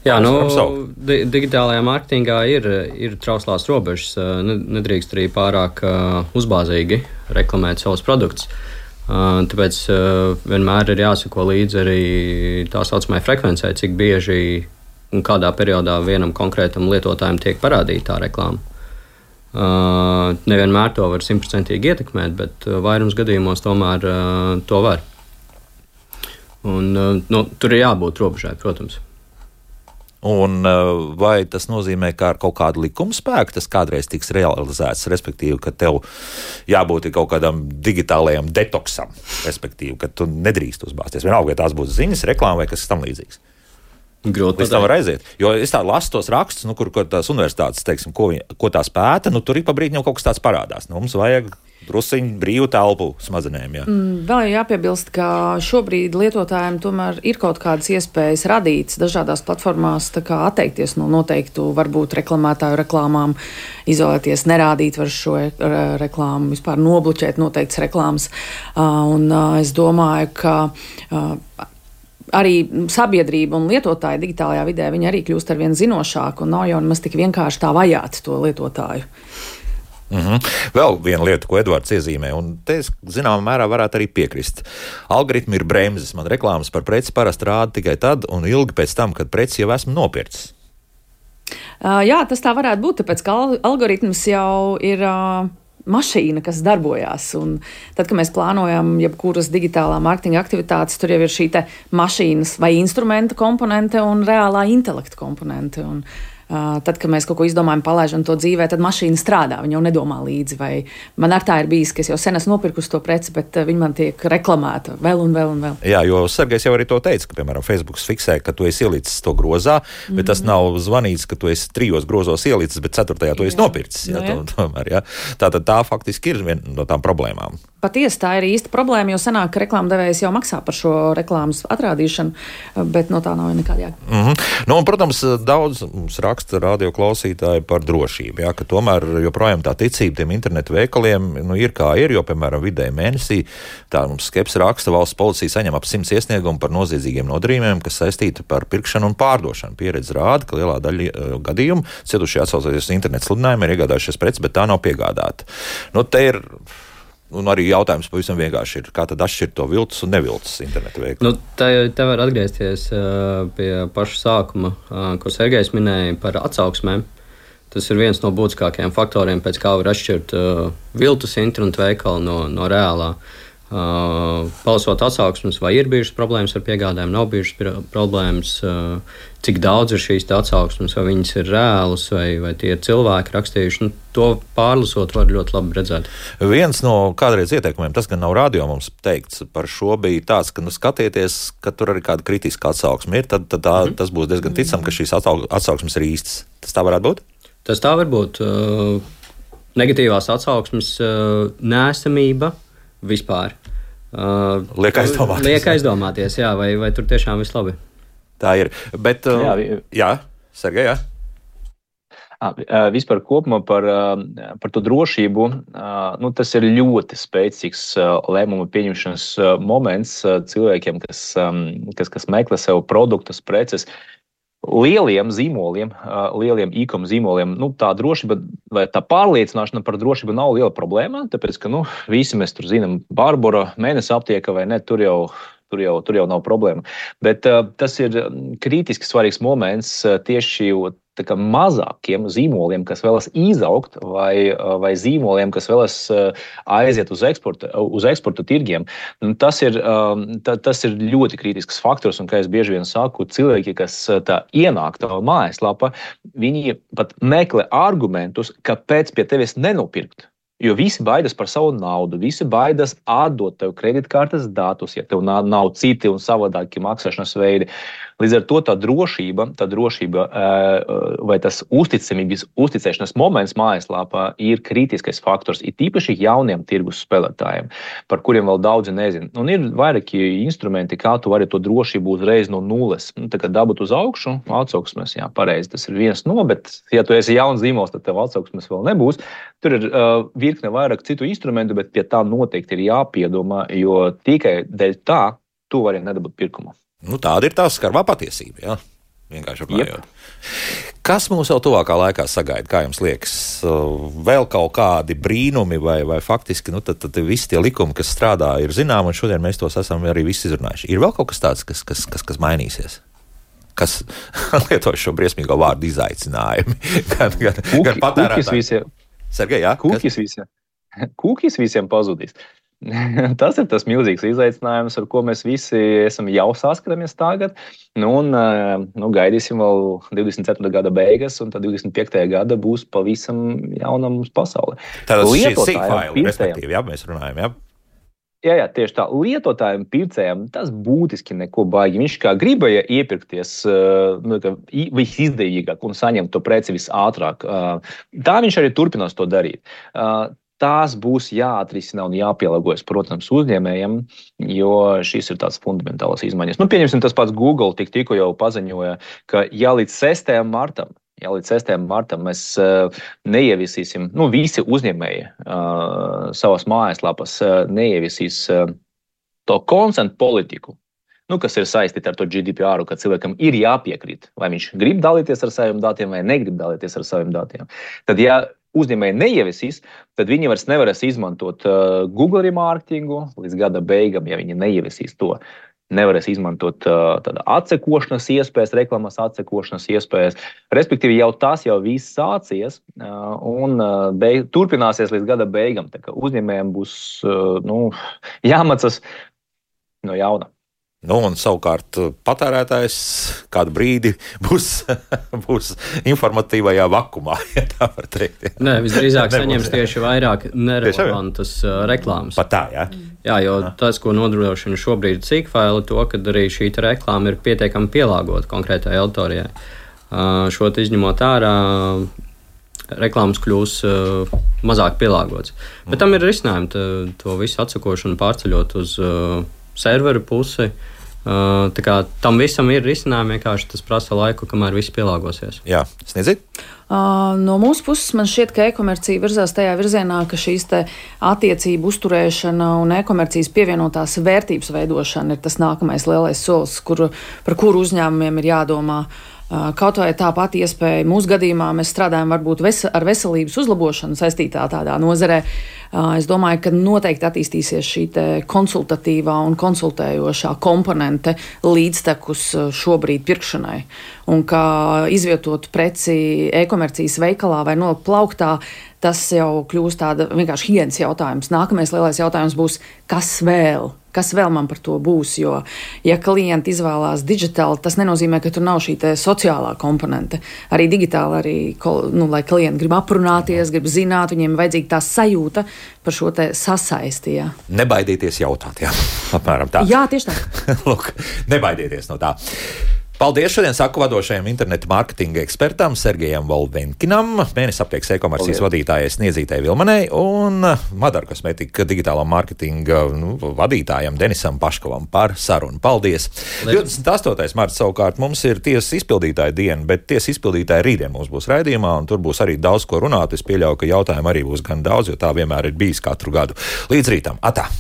Jā, nu, di- digitālajā mārketingā ir, ir trauslās robežas. Nedrīkst arī pārāk uh, uzbāzīgi reklamēt savus produktus. Uh, tāpēc uh, vienmēr ir jāsako līdzi arī tā saucamai frekvencei, cik bieži un kādā periodā vienam konkrētam lietotājam tiek parādīta tā reklāma. Uh, nevienmēr to var simtprocentīgi ietekmēt, bet uh, vairums gadījumos tomēr uh, to var. Un, uh, nu, tur ir jābūt robežai, protams. Un vai tas nozīmē, ka ar kaut kādu likuma spēku tas kādreiz tiks realizēts, respektīvi, ka tev jābūt kaut kādam digitālajam detoksam, respektīvi, ka tu nedrīkst uzbāzties. Vienalga, vai tās būs ziņas, reklāma vai kas tam līdzīgs. Grūti tam var aiziet. Jo es tā lasu tos rakstus, nu, kur, kur tās universitātes, teiksim, ko, viņi, ko tās pēta, nu, tur ik pa brīdim jau kaut kas tāds parādās. Nu, mums vajag drusiņu brīvu telpu smadzenēm. Jā. Mm, vēl jāpiebilst, ka šobrīd lietotājiem tomēr ir kaut kādas iespējas radītas dažādās platformās, tā kā atteikties no noteiktu varbūt reklamētāju reklāmām, izolēties, nerādīt var šo reklāmu, vispār nobloķēt noteiktas reklāmas. Un es domāju, ka arī sabiedrība un lietotāji digitālajā vidē, viņi arī kļūst ar vien zinošāku un nav jau nemaz tik vienkārši tā vajāt to lietotāju. Mm-hmm. Vēl viena lieta, ko Edvards iezīmē, un te es zināmā mērā varētu arī piekrist. Algoritmi ir bremzes. Man reklāmas par preci parasti rāda tikai tad un ilgi pēc tam, kad preci jau esmu nopircis. Uh, jā, tas tā varētu būt, tāpēc, ka algoritms jau ir uh, mašīna, kas darbojās. Un tad, kad mēs plānojam jebkuras digitālā mārketinga aktivitātes, tur jau ir šī te mašīnas vai instrumenta komponente un reālā intelekta komponente. Un tad, kad mēs kaut ko izdomājam, palaižam to dzīvē, tad mašīna strādā, viņa jau nedomā līdzi. Vai man ar tā ir bijis, ka es jau sen esmu nopirkusi to preci, bet viņa man tiek reklamēta vēl un vēl un vēl. Jā, jo Sergejs jau arī to teica, ka, piemēram, Facebooks fiksē, ka tu esi ielicis to grozā, bet mm-hmm. tas nav zvanīts, ka tu esi trijos grozos ielicis, bet ceturtajā tu esi nopircis. Jā, jā. To, tomēr, jā. Tātad tā faktiski ir viena no tām problēmām. Patiesi tā ir īsta problēma, jo senāk, ka reklāmdevējs jau maksā par šo reklāmas atrādīšanu, bet no tā nav nekāda jēga. Mm-hmm. Nu, un, protams, daudz mums raksta radio klausītāji par drošību, jā, ka tomēr joprojām tā ticība tiem internetu veikaliem nu, ir kā ir, jo, piemēram, vidēji mēnesī tā mums Skeps raksta, valsts policija saņem ap simts iesniegumu par noziedzīgiem nodarījumiem, kas saistīti par pirkšanu un pārdošanu. Pieredze rāda, ka lielā daļa uh, gadījumu cietušie atsaucoties internetu sludinājumiem ir iegādājušies preces, bet tā nav piegādāta. Nu, te ir Un arī jautājums pavisam vienkārši ir, kā tad atšķirt to viltus un neviltus internetu veikalu? Nu, te, te var atgriezties uh, pie paša sākuma, uh, ko Sergejs minēja par atsauksmēm. Tas ir viens no būtiskākajiem faktoriem, pēc kā var atšķirt uh, viltus internetu veikalu no, no reālā. Uh, palasot atsauksmes, vai ir bijušas problēmas ar piegādēm, nav bijušas problēmas, uh, cik daudz ir šīs atsauksmes, vai viņas ir reālas, vai, vai tie ir cilvēki rakstījuši. Nu, to pārlasot var ļoti labi redzēt. Viens no kādreiz ieteikumiem, tas gan nav radio mums teikts par šo, bija tāds, ka nu, skatieties, ka tur arī kāda kritiska atsauksme ir, tad, tad tā, mm. tas būs diezgan ticam, ka šīs atsauksmes ir īstas. Tas tā varētu būt? Tas tā var būt. Uh, negatīvās atsauksmes uh, neesamība vispār. Uh, liek aizdomāties. Liek aizdomāties, jā, vai, vai tur tiešām viss labi. Tā ir. Bet, uh, jā, vi... jā, Sergej, jā. À, vispār kopumā par, par to drošību, nu, tas ir ļoti spēcīgs lēmumu pieņemšanas moments cilvēkiem, kas, kas, kas meklē sev produktus, preces. Lieliem zīmoliem, lieliem e-com zīmoliem, nu, tā drošība vai tā pārliecināšana par drošību nav liela problēma, tāpēc, ka, nu, visi mēs tur zinām, Barbora, Mēnesa aptieka vai ne, tur jau, tur jau, tur jau nav problēma. Bet uh, tas ir kritiski svarīgs moments uh, tieši tā kā mazākiem zīmoliem, kas vēlas izaugt, vai, vai zīmoliem, kas vēlas aiziet uz eksporta, uz eksporta tirgiem. Tas ir, tā, tas ir ļoti kritisks faktors, un, kā es bieži vien saku, cilvēki, kas tā ienāk tavā mājaslapā, viņi pat meklē argumentus, kāpēc pie tevis nenopirkt. Jo visi baidās par savu naudu, visi baidās atdot tev kreditkartes datus, ja tev nav, nav citi un savādāki maksāšanas veidi. Līdz ar to tā drošība, tā drošība vai tas uzticamības, uzticēšanas moments mājaslapā ir kritiskais faktors, ir tīpaši jauniem tirgus spēlētājiem, par kuriem vēl daudzi nezina. Un ir vairāki instrumenti, kā tu vari to drošību uzreiz no nulles. Nu, tā kā dabūt uz augšu, atsauksmes, jā, pareizi, tas ir viens no, bet ja tu esi jauns zīmols, tad tev atsauksmes vēl nebūs. Tur ir uh, virkne vairāk citu instrumentu, bet pie tā noteikti ir jāpiedomā, jo tikai dēļ tā tu vari nedabūt pirkumu. Nu, tāda ir tā skarbā patiesība, jā, vienkārši runājot. Yep. Kas mums vēl tuvākā laikā sagaida, kā jums liekas? Vēl kaut kādi brīnumi vai, vai faktiski, nu, tad, tad visi tie likumi, kas strādā, ir zinām, un šodien mēs tos esam arī visi izrunājuši. Ir vēl kaut kas tāds, kas, kas, kas, kas mainīsies? Kas lieto šo briesmīgo vārdu izaicinājumi? gan, gan, Kūki, gan patērētāji. Visiem, Sergej, jā? Kūkis visiem, kūkis visiem pazudīs. Tas ir tas milzīgs izaicinājums, ar ko mēs visi esam jau saskaramies tagad. Nu, un nu, gaidīsim vēl divdesmit ceturtā gada beigas, un tad divdesmit piektajā gada būs pavisam jauna mums pasaule. Tātad šī sīkfaili, respektīvi, jā, mēs runājam, jā? Jā, jā, tieši tā. Lietotājiem, pircējiem tas būtiski neko baigi. Viņš kā gribēja iepirkties nu, visizdevīgāk un saņemt to preci visātrāk. Tā viņš arī turpinās to darīt. Tās būs jāatrisina un jāpielāgojas, protams, uzņēmējiem, jo šīs ir tāds fundamentālas izmaiņas. Nu, pieņemsim, tas pats Google tik tikko jau paziņoja, ka ja līdz sestajam martam, ja līdz sestajam martam mēs uh, neieviesīsim, nu, visi uzņēmēji uh, savas mājaslapas uh, neieviesīs uh, to consent politiku, nu, kas ir saistīta ar to G D P R, ka cilvēkam ir jāpiekrīt, vai viņš grib dalīties ar saviem datiem vai negrib dalīties ar saviem datiem. Tad, ja uzņēmēji neieviesīs, tad viņi vairs nevarēs izmantot uh, Google remarketingu līdz gada beigām, ja viņi neieviesīs to. Nevarēs izmantot uh, tāda atsekošanas iespējas, reklamas atsekošanas iespējas. Respektīvi, jau tas jau viss sācies uh, un uh, beig, turpināsies līdz gada beigām. Tā kā uzņēmējiem būs uh, nu, jāmācās no jauna. Nu, un savukārt patērētājs kādu brīdi būs, būs informatīvajā vakumā, ja tā var teikt. Ja. Nē, visdrīzāk saņems tieši vairāk nerelevantas uh, reklāmas. Pat tā, jā? Jā, jo jā. Tas, ko nodrošina šobrīd sīkfaili, to, ka arī šī reklāma ir pietiekami pielāgota konkrētai auditorijai. Uh, šo izņemot ārā, reklāmas kļūs uh, mazāk pielāgots. Bet tam ir risinājumi, tā, to visu atsakošanu pārceļot uz uh, serveru pusi. Uh, tā kā tam visam ir risinājumi, vienkārši tas prasa laiku, kamēr viss pielāgosies. Jā, sniedzit? Uh, no mūsu puses man šķiet, ka e-komercija virzās tajā virzienā, ka šīs te attiecību uzturēšana un e-komercijas pievienotās vērtības veidošana ir tas nākamais lielais solis, kur, par kuru uzņēmumiem ir jādomā. Kaut vai tā pati iespēja mūsu gadījumā mēs strādājam varbūt ves- ar veselības uzlabošanu saistītā tādā nozarē. Es domāju, ka noteikti attīstīsies šī te konsultatīvā un konsultējošā komponente līdztekus šobrīd pirkšanai. Un kā izvietot preci e-komercijas veikalā vai no plauktā, tas jau kļūst tāda vienkārši higienas jautājums. Nākamais lielais jautājums būs, kas vēl? Kas vēl man par to būs, jo, ja klienti izvēlās digitāli, tas nenozīmē, ka tur nav šī te sociālā komponente. Arī digitāli, arī, nu, lai klienti grib aprunāties, grib zināt, viņiem vajadzīga tā sajūta par šo te sasaisti, jā. Nebaidieties jautāt, jā, apmēram tā. Jā, tieši tā. Lūk, nebaidieties no tā. Paldies šodien saku vadošajam interneta mārketinga ekspertam Sergejam Volvenkinam, mēnesi aptiekas e-komercijas vadītājai Sniedzītei Vilmanei un Madara kosmetika digitālā mārketinga nu, vadītājam Denisam Paškovam par sarunu. Paldies! divdesmit astotais marts savukārt mums ir tiesas izpildītāja diena, bet tiesas izpildītāja rītdien mums būs raidījumā un tur būs arī daudz ko runāt. Es pieļauju, ka jautājumu arī būs gan daudz, jo tā vienmēr ir bijis katru gadu. Līdz rītam! Atā!